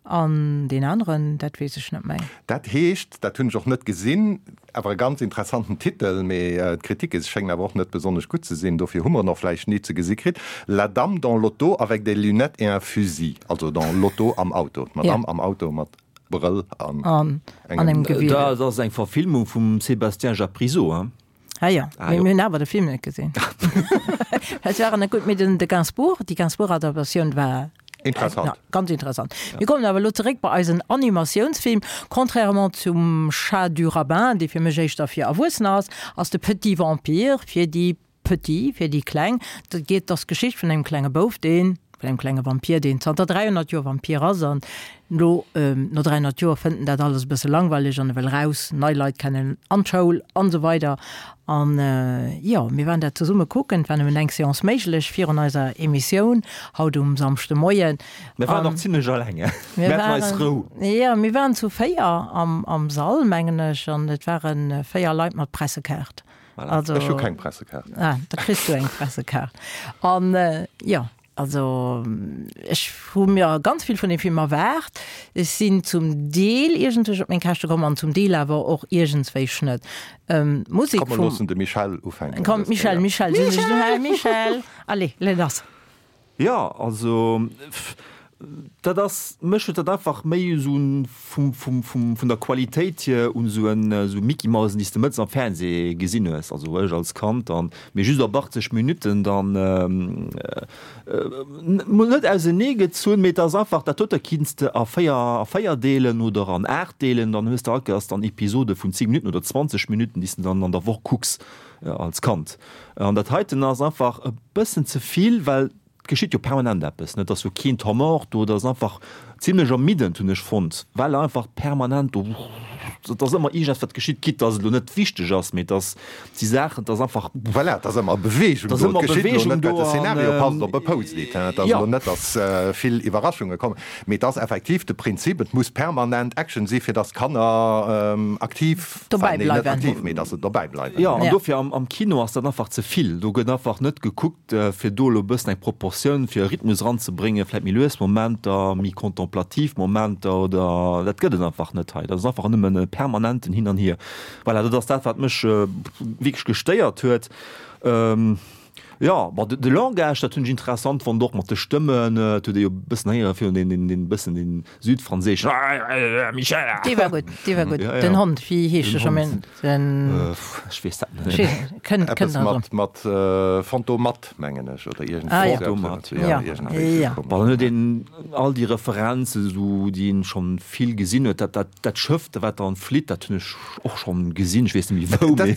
an deen aneren, dat weess ech net méi. Dat heescht, dat hunn ech och net gesinn, awer e ganz interessanten Titel, mee d'Kritike schéngen awer och net besonnesch gutt ze sinn, dofir hu mer en och vläicht ni ze gesi kritt, La dame dans l'auto avec des lunettes et un fusil, also dans l'auto am Auto, d'Madame am Auto mat Brëll an engem Gewier. Dat ass eng Verfilmung vum Sébastien Japrisot, hein? Ah jo, Ah mee jo. mir hunn awer de Film net gesinn. Et war net gutt, mee den de Gainsbourg, déi Gainsbourg-Adaptatioun war Interessant. Ja, ganz interessant. Mir kommen awer elo zeréck bei eisen Animatiounsfilm. Contrairement zum Chat du Rabbin, dee fir mech éischter fir Erwuessener ass, ass de Petit Vampire fir déi Petits, fir déi Kleng. Dat geet, ass d'Geschicht vun engem klenge Bouf, deen, vun engem klenge Vampir, deen zanter 300 Joer Vampir ass an elo, no 300 Joer fënnt en dat alles e bësse langweileg an e wëll raus, nei Leit kennen, an d'Schoul an esou weider. An, jo, mir waren dat zesumme kucken, et war nëmmen eng Seance méiglech virun eiser Emissioun haut um Samschdemoien. Mir waren och zimlech alleng, mir haten eis Rou. Jo, mir waren zu 4 am Sall, mengen ech, an et ware 4 Leit mat Pressekaart. Voilà. Also, Ech hu keng Pressekaart. Ah, da kriss du eng Pressekaart. An, jo. Also ech hu mir ganz vill vun deem Film erwaart. Ech sinn zum Deel iergendwéi op meng Käschte komm an zum Deel awer och iergendswéi net. D'Musek Komm, mer vum. loossen de Michel ufänken Komm, dës Michel, Kéier. Michel, Michel! Michel, allez, les lass. Jo, also dat ass, mech huet dat einfach méi esou vum, vum, vum, vun der Qualitéit hier un esou en, esou Mickey-Mausen, déi s de mëttes am Fernseh gesinn hues, also ech als Kand dann, mee just op 80 Minutten dann mol net ausenee gezunn, mee et ass einfach, dat dote kinns de a 4, a 4 deelen oder an 8 deelen, dann hues de all Kéiers dann Episode vun 10 Minutten oder 20 Minutten, déi s de dann an der Woch kucks. Als Kand. An dat heiten ass einfach e bëssen ze vill, well et geschitt jo permanent eppes, ne? Et ass jo keen Temps mort do, et ass einfach zimlech ermiddend, hunn ech fonnt, well einfach permanent do, et ass ëmmer iergendeppes wat geschitt, quitte dass et elo net wichteg ass, mee et ass, et si Saachen, et ass einfach. Voilà, et ass ëmmer Beweegung do, et geschitt elo net, well de an Szenario passt op e Post-it, hein, et ass jo. elo net, dass vill Iwwerraschunge kommen, mee et ass effektiv de Prinzip, et muss permanent Action si fir dass d'Kanner aktiv Dobäi Enfin, nee, net bleiwen. aktiv, mee dass se dobäi bleiwen. Jo, an Ja. dofir am, am Kino ass dat einfach ze vill. Do gëtt einfach net gekuckt, fir do elo e bëssen eng Proportioun, fir e Rhythmus eranzebréngen, vläicht méi lues Momenter, méi contemplativ Momenter oder dat gëtt et einfach net hei. Dat ass einfach nëmmen e permanenten Hin an Hier. Voilà, dat ass dat, wat mech wierklech gestéiert huet. Jo, bon, de Langage, dat hunn ech interessant fonnt, och mat de Stëmmen. Et huet ee jo e bëssen héiere virun deen, deen, deen bëssen deen südfranséischen Michel! Dee war gutt, dee war gutt. Ja, ja. Den Hond, wéi heescht Den e scho méi? Hond. Den. Ech weess dat net. Ech weess, kënnt, Eppes kënnt nach mat, drun. mat Fantomat, mengen ech, oder iergendwéi Ah, ja. esou eppes. Fantomat, Ja, Ja, iergendwéi esou ja. komesch. Bon, dann huet een all déi Referenzen esou, déi een schonn vill gesinn huet. Dat, dat, dat Schëff, wat dann flitt, dat hunn ech och schonn gesinn, ech weess net méi wou, Dat, mee.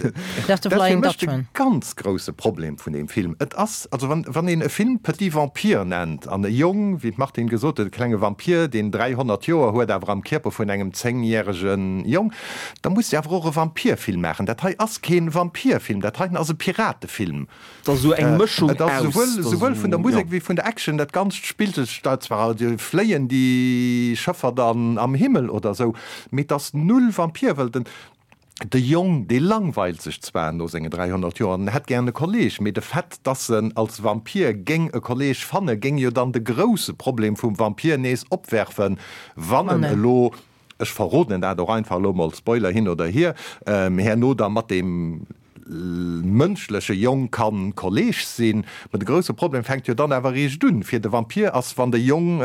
Dat ass de dat ass fir Flying mech de Dutchman. ganz grousse Problem vun deem Film. Et ass, also wann, wann een e Film Petit Vampire nennt an e Jong, wéi d'Martine gesot huet, e klenge Vampir, deen 300 Joer huet, awer am Kierper vun engem zéngjärege Jong, da muss de awer och e Vampirfilm maachen. Dat hei ass kee Vampirfilm, dat heiten ass e Piratefilm. Et ass esou eng Mëschung Et ass aus. esouwuel, esouwuel vun der Musek wéi vun der Action, dat Ganzt spillt sech da zwar, fléien déi Schëffer dann am Himmel oder esou, mee et ass null Vampir, well den, de Jong, dee langweilt sech zwar no sengen 300 Joer an hätt gären e Kolleg, mee de Fait, dass en als Vampir géing e Kolleg fanne, géing jo dann de grousse Problem vum Vampir nees opwerfen, wann en elo, ech verroden dat och einfach elo mol, Spoiler hin oder hier, herno da mat deem mënschleche Jong kann Kolleg sinn. Mä de grousse Problem fänkt jo dann awer eréischt un fir de Vampir ass, wann de Jong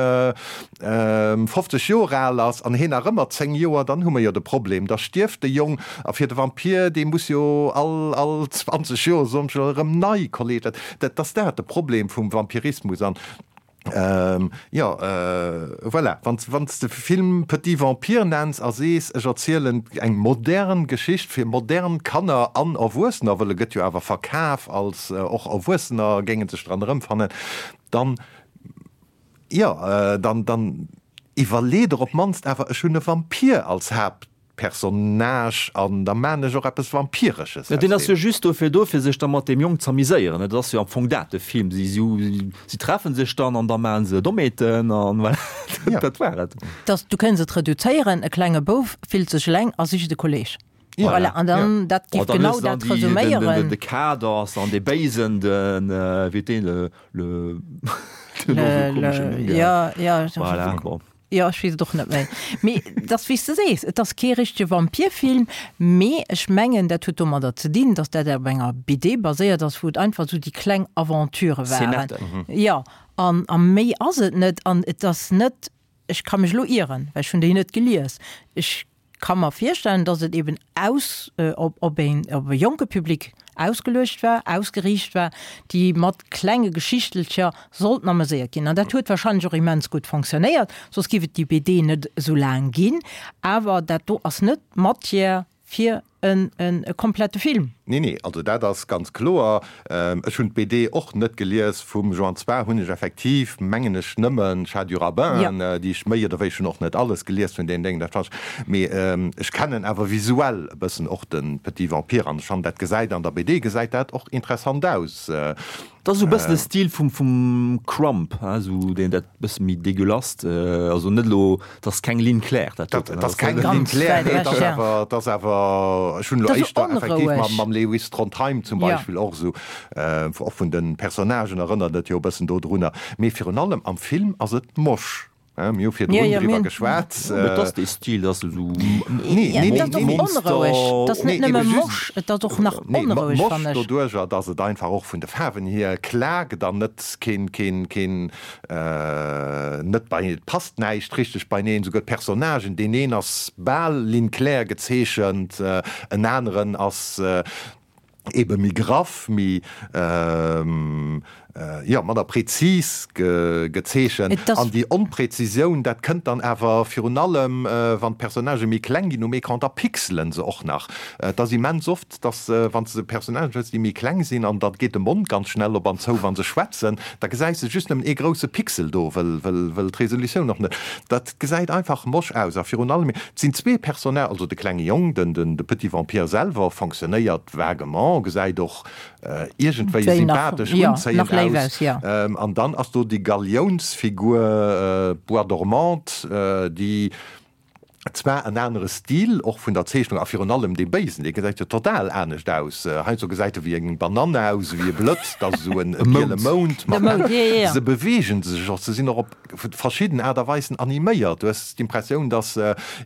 50 Joer al ass an heen nach ëmmer 10 Joer, dann hu mer jo de Problem, da stierft de Jong a fir de Vampir, dee muss jo all all 20 Joer soen ech elo erëm nei Kolleg. Dat ass dat de Problem vum Vampirismus an Jo, voilà, wann s de Film Petit Vampire nenns a sees, ech erzielen eng modern Geschicht fir modern Kanner an Erwuessener, wëll e gëtt jo awer verkaf als och Erwuessener géinge sech dran erëmfannen, dann, jo, dann, dann iwwerlee der op d'mannst awer, ech hunn e Vampir als Haapt. Personnage an da maan ech och eppes Vampiresches Ja, deen aus ass jo deem. just dofir do, fir sech da mat deem Jong z'amiséieren. Dat ass jo am Fong dat, de Film. Si, si, si treffen sech dann an da maachen se Dommheeten an voilà, Ja. dat war et. Dass, du kënns et reduzéieren, e klenge Bouf fillt sech eleng a sicht e Kolleg. Ja. Voilà, an dann, Ja. dat Bon, giff dann genau hues de dann dat déi, den, den, den, resuméieren. de Kader ass dann dee Béisen, den, wéi huet deen, le, le, den och esou Le, komeschen le, Numm gehat. ja, ja. Voilà, bon. Jo, ech weess et och net méi. Mee et ass wéi s de sees, et ass kee richtege Vampirfilm, mee ech mengen, dat huet domadder ze dinn, datt dat op enger BD baséiert ass, wou et einfach esou déi kleng Aventurë waren. Szenetten. Jo, an a méi ass et net. An et ass net, ech ka mech elo ieren, well ech hunn déi net gelies, ech ka mer virstellen, datt et eben aus op op een op e jonke Public ausgeluecht war, ausgeriicht war, déi mat klenge Geschichtelcher sollten ameséiert ginn. An dat huet wahrscheinlech och immens gutt fonctionnéiert, soss géif et déi BD net esou laang ginn. Awer dat do ass net Matière fir en e komplette Film. Nee, nee, also dat ass ganz kloer. Ech hunn d'BD och net gelies vum Joan. Zwar hunn ech effektiv, mengen ech, nëmmen Chat du Rabbin, déi ech méi oder wéi, ech hunn och net alles gelies vun deenen Déngen, dat fannen ech, mee ech kennen awer visuell e bëssen och de Petit Vampire an ech fannen, dat gesäit an der BD gesäit dat och interessant aus. Dat ass esou e bëssen de Stil vum, vum Crumb, hein, esou deen dat bësse méi dégueulasse, also net elo, dat ass keng Ligne claire dat doten. Dat ass keng Ligne claire, nee, dat ass awer, dat ass awer, ech hunn elo éischter effektiv mam, mam Lewis Trondheim zum Beispill och esou, och vun de Personnagen erënnert et jo e bëssen dodrunner, mee virun allem am Film ass et moche. Mir hu virdrun driwwer geschwat. Et ass dee Stil, dass esou Monster. Et ass net nëmme mosch, et ass och nach onroueg, fannen ech. Mosch doduerjer, dass et einfach och vun de Faarwen hier klaakt an net keen, keen, keen, net bei, et passt näischt richteg beineen. Souguer d'Personnagen, deen een ass bal ligne claire gezeechent, en aneren ass ebe méi graff, méi, jo, manner prezis gezeechent. An déi Onprezisioun, dat kënnt dann awer virun allem, wann d'Personnagë méi kleng ginn um Ecran, da pixelen se och nach. Et ass immens oft, dass, wann s de Personnagen hues, déi méi kleng sinn, an da geet de Mond ganz schnell op an zou, wa se schwätzen, da gesäis de just nëmmen ee grousse Pixel do, well, well d'Resolutioun och net, dat gesäit einfach mosch aus. A virun allem, et sinn zwee Personnage, also de klenge Jong, den, de Petit Vampire selwer fonctionnéiert vaguement, gesäit och iergendwéi sympathesch, unzéiend aus. An dann ass do déi Galiounsfigur, d'Bois dormante, déi zwar en anere Stil och vun der Zeechnung a virun allem dee Béisen, dee gesäit jo total anescht aus. Heiansdo gesäit e wéi eng Banann aus, wéi e Blëtz, da sou en giele Mound mat. Se beweegen sech och, se sinn och op verschidden Aart a Weisen animéiert. Du hues d'Impressioun, datt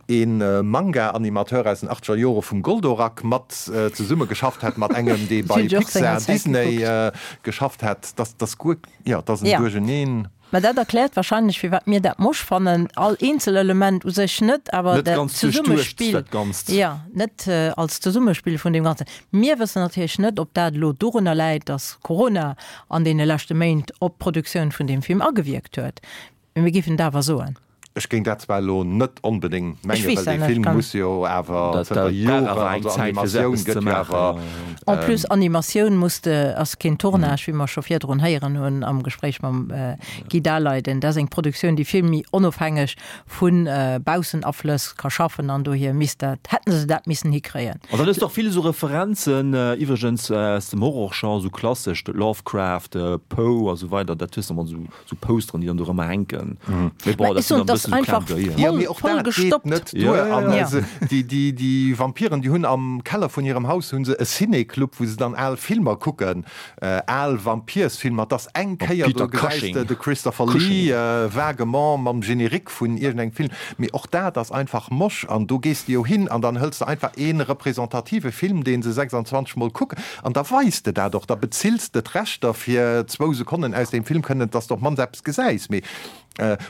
ee Manga-Animateur aus den achtzeger Jore vum Goldorak mat zesumme geschafft hätt mat engem, dee bei Pixar, Disney geschafft hätt. Dass dass guer, jo, dass en Duercheneen. Mä dat erkläert wahrscheinlech, firwat mir dat mosch fannen. All eenzel Element u sech net, awer dat Zesummespill, jo, net als Zesummespill vun deem Ganzen. Mir wëssen natierlech net, ob dat elo dorunner läit, datt Corona an deene leschte Méint op d'Produktioun vun deem Film agewierkt huet, mee mir géifen et awer soen. Ech géing dat zwar elo net onbedéngt mengen, well dee Film muss jo awer zënter Joren, also Animatioun gëtt jo awer. En plus Animatioun muss de, ass keen Tournage, wéi mer scho virdrun héieren hunn am Gespréich mam Guy Daleiden. Dat ass eng Produktioun, déi vill méi onofhängeg vu Baussenaflëss ka schaffen an dohier misst dat, hätten se dat missen hikréien. An dann hues de och vill esou Referenzen, iwwregens aus dem Horrorgenre, esou klassesch, Lovecraft, Poe a sou weider, dat hues de mat esou esou Posteren, déi dann do rëmmer hänken. Mee bon, dat sinn dann e bëssen esou Clin d'oeillen. Jo, mee och dat geet net duer. An déi, déi, déi Vampiren, déi hunn am Keller vun hirem Haus hu se e Ciné-Club, wou se dann al Filmer kucken. Al Vampirsfilmer, dass eng Kéier do gesäis de de Christopher Lee vaguement mam Générique vun iergendengem Film, mee och dat ass einfach mosch an do gees de jo hin an dann hëls de einfach ee representative Film, dee se 26 mol kucken an da weis de dat och, da bezills de d'Rechter fir zwou Sekonnen aus deem Film kënnen, dass de op d'mannst eppes gesäis. Mee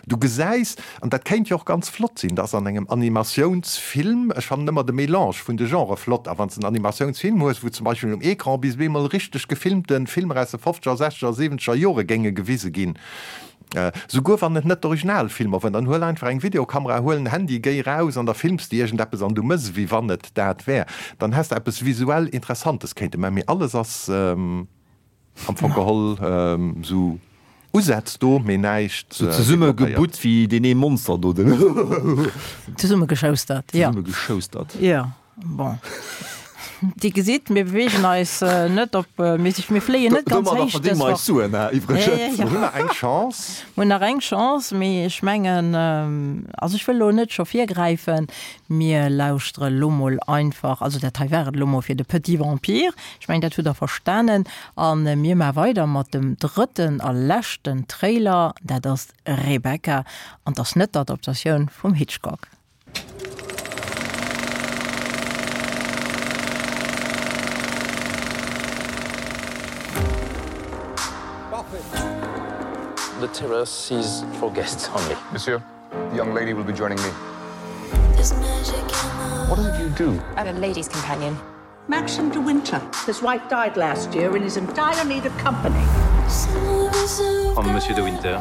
Du gesäis, an dat kéint jo och ganz flott sinn, dass an engem Animatiounsfilm, ech fannen ëmmer de Mélange vun de Genrë flott, a wann s de en Animatiounsfilm hues, wou zum Beispill um Ecran bis bemol richteg gefilmte Filmer aus de fofzeger, sechzeger, siwenzeger Jore géinge gewise ginn, souguer wann et net d'Originalfilmer wuaren, dann huel einfach eng Videokamera, huel en Handy, géi raus an da films de iergendeppes an du mëss ewéi wann et dat wär, dann häss de eppes visuell Interessantes kéinte man. Mee alles ass. Am Fong geholl sou Usätz do, mee näischt Sou zesumme gebutt wéi deen ee Monster do, den. Zesumme geschoustert, jo. Zesumme geschoustert. Jo, bon. Dir gesitt, mir beweegen eis net op, mir si, mir fléien net ganz héich dës Woch. Domadder verdénge mer eis Suen, hè, iwwregens. Mir hunn nach eng Chance. Mir hunn nach eng Chance, mee ech mengen, also ech wëll elo net scho virgräifen, mir lauschtere lo mol einfach, also dat hei war et elo mol fir de Petit Vampire. Ech mengen, dat hutt Der verstanen. A mir maache weider mat dem drëtten a leschten Trailer. Dat ass Rebecca an 't ass net d'Adaptatioun vum Hitchcock. The terrace is for guests only. Monsieur, the young lady will be joining me. What is it you do? I'm a lady's companion. Maxim de Winter. His wife died last year and is in dire need of company. I'm Monsieur de Winter.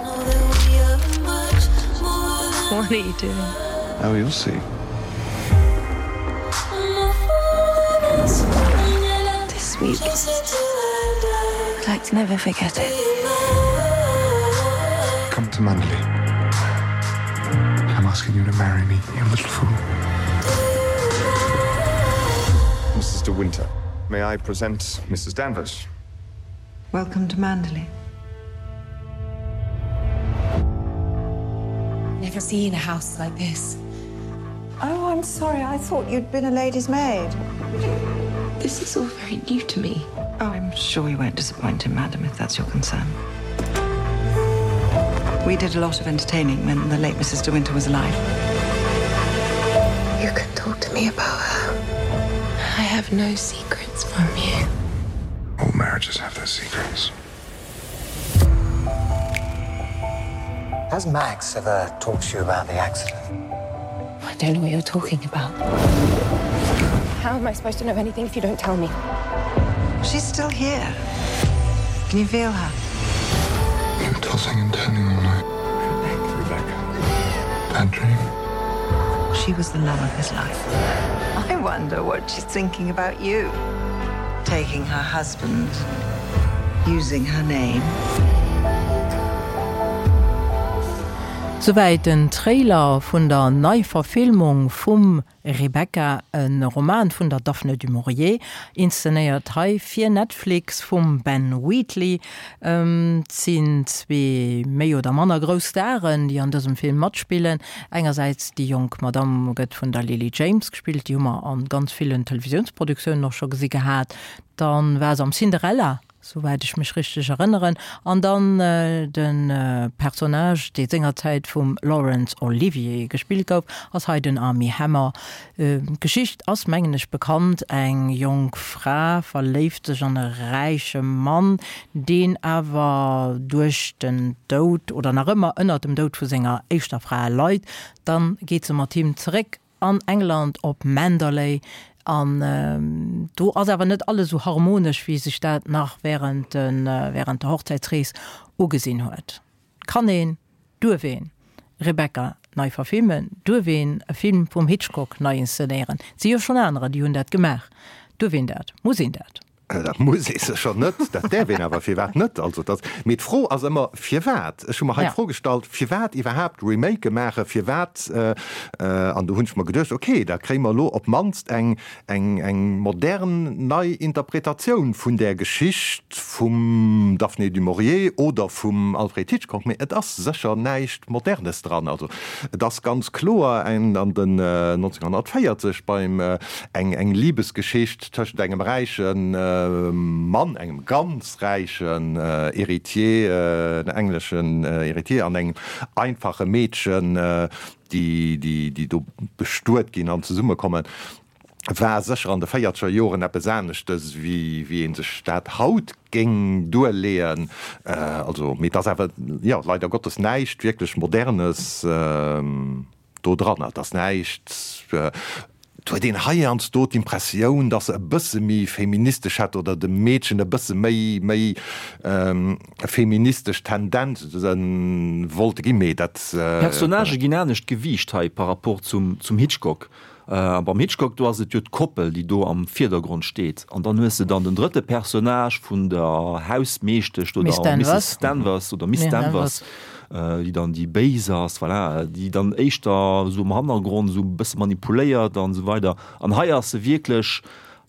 What are you doing? Oh, you'll see. This week I'd like to never forget it. Come to Manderley. I'm asking you to marry me, you little fool. Mrs. De Winter, may I present Mrs. Danvers? Welcome to Manderley. Never seen a house like this. Oh, I'm sorry, I thought you'd been a lady's maid. This is all very new to me. Oh, I'm sure you won't disappoint him, madam, if that's your concern. We did a lot of entertaining when the late Mrs. De Winter was alive. You can talk to me about her. I have no secrets from you. All marriages have their secrets. Has Max ever talked to you about the accident? I don't know what you're talking about. How am I supposed to know anything if you don't tell me? She's still here. Can you feel her? You're tossing and turning all night. Rebecca. Rebecca. Bad dream. She was the love of his life. I wonder what she's thinking about you. Taking her husband, using her name. Souwäit den Trailer vun der Neiverfilmung vum Rebecca, e Roman vun der Daphne du Maurier, inszenéiert hei fir Netflix vum Ben Wheatley. Et sinn zwee méi oder manner grouss Staren, déi an dësem Film matspillen. Engersäits déi jonk Madamm gëtt vun der Lily James gespillt, déi hu mer a ganz villen Televisiounsproduktioune och scho gesi gehat. Dann war se am Cinderella souwäit ech mech richteg erënneren, an dann de Personnage, dee sengerzäit vum Laurence Olivier gespillt gouf, ass hei den Armie Hammer. D'Geschicht ass, mengen ech, bekannt, Eng jonk Fra verléift sech an e räiche Mann, deen awer duerch den Doud oder nach ëmmer ënnert dem Doud vu senger éischter Fra leit. Dann geet se mat him zeréck an England op Manderley an do ass awer net alles esou harmonesch wéi sech dat nach während während der Hochzäitsrees ugesinn huet. Kann een, duerf een Rebecca nei verfilmen? Duerf een e Film vum Hitchcock nei inszenéieren? Et si jo schonn anerer déi hunn dat gemaach. Duerf een dat? Muss een dat? Dat muss ee sécher net, dat däerf een awer. Firwat net? Also dat, mee d'Fro ass ëmmer, firwat? Ech hu mer hei d'Fro gestallt, firwat iwwerhaapt Remake maachen? Firwat? An do hunn ech mer geduecht, okay, da kréie mer elo op d'mannst eng, eng, eng modern nei Interpretatioun vun där Geschicht vum Daphne du Maurier oder vum Alfred Hitchcock. Mee et ass sécher näischt Modernes dran. Also et ass ganz kloer eng an den 1940 beim eng, eng Libesgeschicht, Tëschent engem räiche Mann, engem ganz räichen Héritier, engleschen Héritier, an engem einfache Meedchen, déi, déi do bestuet ginn an zesummekommen, war sécher an de véierzeger Joren eppes aneschtes, wéi wéi ee sech dat haut géing duerleeën. Also, mee et ass awer, jo, leider Gottes näischt wierklech Modernes. Do dran. Et ass näischt, et huet een heiansdo d'Impressioun, datt se e bësse méi feministesch hätt oder dem Meedchen e bësse méi, méi feministesch Tendenze wollte ginn, mee dat. D'Personnagë ginn anescht gewiicht hei par rapport zum, zum Hitchcock. A beim Hitchcock, do ass et jo d'Koppel, déi do am Virdergrond steet. An dann hues de dann den drëtte Personnage vun der Hausmeeschtesch oder Misses Danvers oder Miss Danvers, déi dann déi Béis ass, voilà, déi dann éischter esou am Hannergrond esou e bësse manipuléiert an esou weider. An hei ass se wierklech,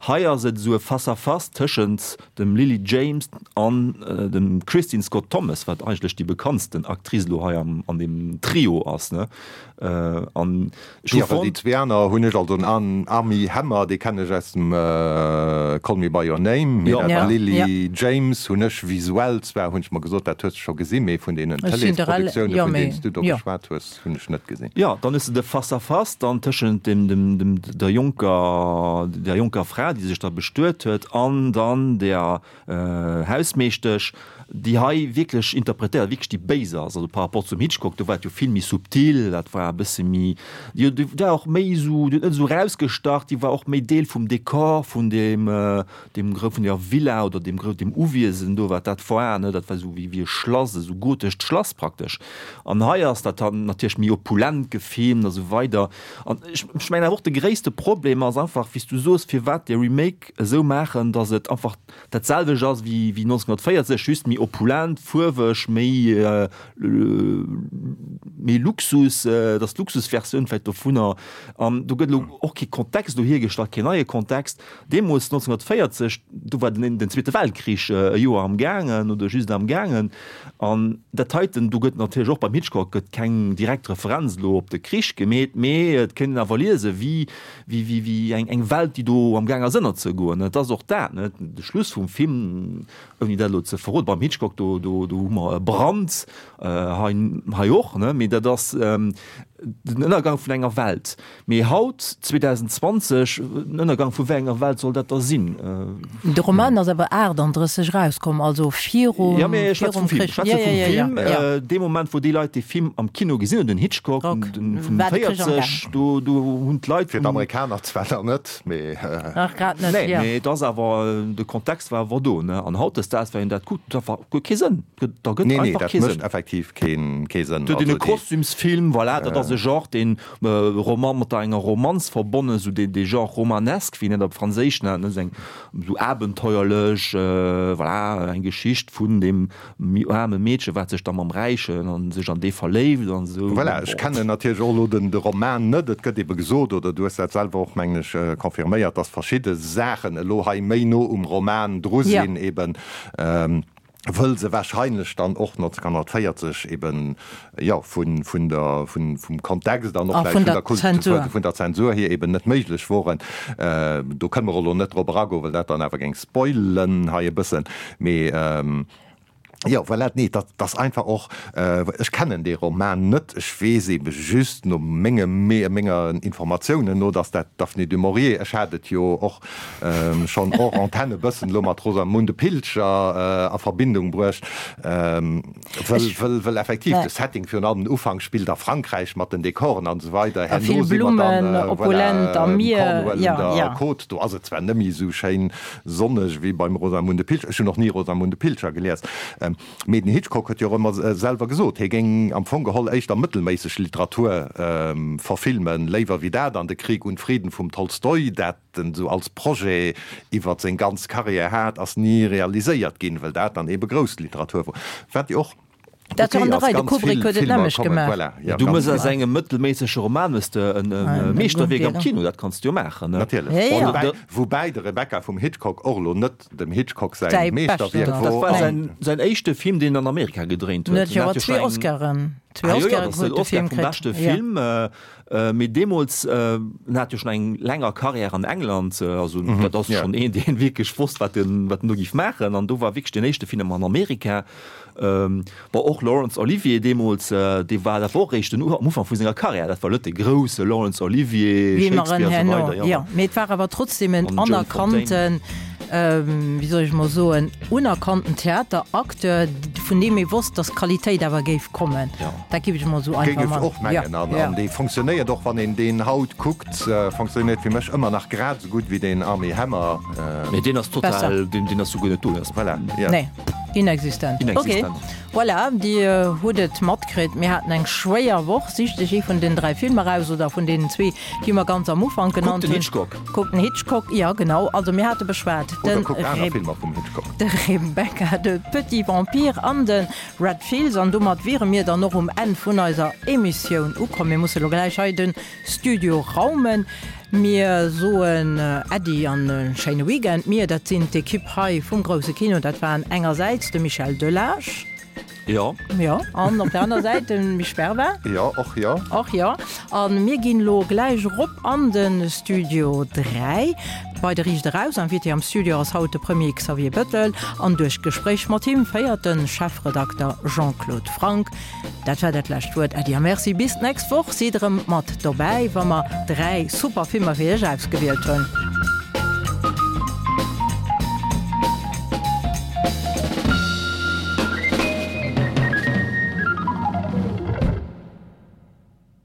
hei ass et esou e Face-à-face tëschent dem Lily James an dem Kristin Scott Thomas, wat eigentlech déi bekanntsten Actrice elo hei am, an deem Trio ass, ne. An ech hu fonnt. Déi zwee aner hunn ech, also den Armie Hammer, dee kennen ech aus dem Call Me By Your Name, mee dat Lily James hunn ech visuell zwar, hunn ech mer gesot, dat hues de scho gesinn, mee vun deenen Tëleesproduktioune vun deenen s du do geschwat hues, hunn ech net gesinn. Jo, dann hues de de Face-à-face dann tëschent dem, dem, dem, der jonker, der jonker Fra, déi sech da bestuet huet, an dann der Hausmeeschtesch, déi hei wierklech interpretéiert, wierklech déi Béis ass, also par rapport zum Hitchcock, do war et jo vill méi subtil, dat war e bësse méi, déi war och méi esou, déi huet net esou erausgestach, déi war och méi Deel vum Dekor, vun deem, deem grou, vun der Villa oder deem grou, deem Uwiesen do, wat dat war, ne, dat war esou wéi, wéi e Schlass, esou gotescht Schlass praktesch. An hei ass dat dann natierlech méi opulent gefilmt a sou weider. An ech, ech mengen awer och de gréisste Problem ass einfach, wéi s du soos, firwat dee. dee Remake esou maachen, datt et einfach dat selwecht ass wéi 1940, just méi opulent, fuerweg, méi méi Luxus, et ass d'Luxusversioun vläicht dovunner. An do gëtt elo och kee Kontext do hiergestallt, keen neie Kontext. Deemools 1940, do war den den Zweete Weltkrich e Joer am gaangen oder just am gaangen. An dat heiten, do gëtt natierlech och beim Hitchcock gëtt keng direkt Referenz elo op de Krich gemeet, mee et kéint een awer liese wéi wéi wéi wéi eng eng Welt, déi do am gaang ass ënnerzegoen. Et ass och dat, ne, de Schluss vum Film, ouni dat elo ze verroden, beim Hitchcock, do do do hu mer e Brand, hei hei och, ne, mee dat ass den Ënnergang vun enger Welt. Mee haut, 2020, den Ënnergang vu wéi enger Welt soll dat da sinn? De Roman ass awer 38 erauskomm, also virum Ja, mee ech schwätze virum vum Film. Krich. Ech schwätze Ja, ja, vum ja, ja, Film, ja. dee Moment, wou déi Leit dee Film am Kino gesinn hunn, den Hitchcock, Rock. den vun War de Krich am 40, Gaang. do do hunn d'Leit Fir vum. d'Amerikaner zwar nach net, mee. Nach grad net, Nee, ja. mee et ass awer, de Kontext war awer do, ne? An hautdesdaags, wann een dat kuckt, dat war guer kee Sënn. Da gëtt Nee, nee, einfach dat kee mécht Sënn. effektiv kee kee Sënn. Do Also den déi. Kostümsfilm, voilà, dat ass e Genre, deen Roman mat der enger Romanz verbonnen, esou dee dee Genre romanesque, wéi een dat op Franséisch nennt, ne, esou eng esou abenteuerlech, voilà, eng Geschicht vun deem méi aarme Meedche wat sech da mam Räichen an sech an dee verléift an esou. Voilà, ech kennen natierlech och elo den de Roman net. Et gëtt ebe gesot, oder du hues dat selwer och, mengen ech, confirméiert, datt verschidde Saachen elo hei méi no um Roman dru sinn, eben wëll se wahrscheinlech dann och 1940 eben, jo, vun, vun der, vun, vum Kontext an och vläicht vun der Kult, vun der Zensur hier eben net méiglech woren. Do kënne mer elo net drop eragoen, well dat dann awer géing spoilen hei e bëssen, mee jo, voilà, nee, dat ass einfach och, ech kennen dee Roman net, ech weess ebe just no mengem, menger Informatiounen no, dass dat d'Daphne du Maurier, ech hat et jo och schonn hors antenne e bëssen elo mat Rosamunde Pilcher a Verbindung bruecht, wëll, wëll, wëll effektiv de Setting virun allem den Ufank spillt a Frankräich mat den Dekoren an esou weider, herno si mer dann, voilà, um Cornwall un der Côte, do ass et zwar net méi esou schéin sonneg wéi beim Rosamunde Pilcher, ech hunn och ni Rosamunde Pilcher gelies, mee den Hitchcock huet jo och ëmmer selwer gesot, hie géing am Fong geholl éischter mëttelméisseg Literatur verfilmen, léiwer wéi dat an de Krieg und Frieden vum Tolstoi, dat en esou als Projet iwwert seng ganz Carrière hat, ass ni realiséiert ginn, well dat dann ebe grouss Literatur wor, wat jo och Dat war okay an der ass, Rei, de ganz Kubrick vill huet et Filmer nämlech kommen, gemaach. voilà, ja, Du ganz muss aus genau. engem mëttelméissege Roman hues de en Meeschterwierk am Kino, dat kanns du jo maachen, ne? Natierlech. Ja, ja. Woubäi, woubäi de Rebecca vum Hitchcock och elo net dem Hitchcock säi Säi Meeschterwierk beschten Dat wor. war An säin, säin éischte Film, deen en an Amerika gedréint En huet. huet jo En awer hat jo zwee scho eng, Oscaren, zwee ah jo, jo, Oscaren dat ass den huet de Oscar Film vum kritt, beschte ja. Film. Mee deemools, en hat jo schonn eng länger Karriär an England, also dat ass schonn een, deen wierklech wosst, wat en, wat en do géif maachen. An do war wierklech deen éischte Film an Amerika. Bon, och Laurence Olivier deemools, dee war, dat war och eréischt den, am Ufank vu senger Karriär, dat war net de grousse Laurence Olivier, Wéi mer en Shakespeare a sou herno, weider, jo. jo. Mee et war awer trotzdem en An Joan Fontaine. anerkannten, wéi soll ech mol soen, unerkannten Theateracteur, vun deem ee wosst, datt d'Qualitéit awer géif kommen. Jo. Dat géif ech mol esou Géing einfach ech man. och mengen. Ja, An, ja. an dee fonctionnéiert och, wann een deen haut kuckt, fonctionnéiert fir mech ëmmer nach grad esou gutt wéi deen Armie Hammer. Mee deen ass total, Besser. deen, deen ass souguer net do. Deen ass Voilà, ja. Nee, inexistent. Ok, Inexistent. voilà, Dir hutt et matkritt, mir haten eng schwéier Woch. Sicht Iech ee vun den 3 Filmer aus oder vun deenen zwee, déi mer ganz am Ufank Kuckt genannt den hunn. Hitchcock. Kuckt den Hitchcock, jo genau. Also mir hate beschwat Oder den kuckt aner Reb, Filmer vum Hitchcock. de Rebecca, de Petit Vampire an de Red Fields, an domat wiere mir dann och um Enn vun eiser Emissioun ukomm. Mir musse lo gläich hei de Studio raumen. Mir soen Äddi an e schéine Weekend. Mir, dat sinn d'Ekipp hei vum Grousse Kino. Dat waren engersäits de Michel Delage. Jo. Jo, an op der aner Säit de Misch Berva. Jo, och jo. Och jo. A mir ginn elo gläich erop an de Studio 3. Bei de Riicht Eraus Invité am Studio ass haut de Premier Xavier Bettel an duerch d'Gespréich mat him féiert de Chefredakter Jean-Claude Franck. Dat war dat lescht Wuert. Äddi a Merci, bis d'nächst Woch. Sidd erëm mat dobäi, wa mer 3 super Filmer fir iech ausgewielt hunn.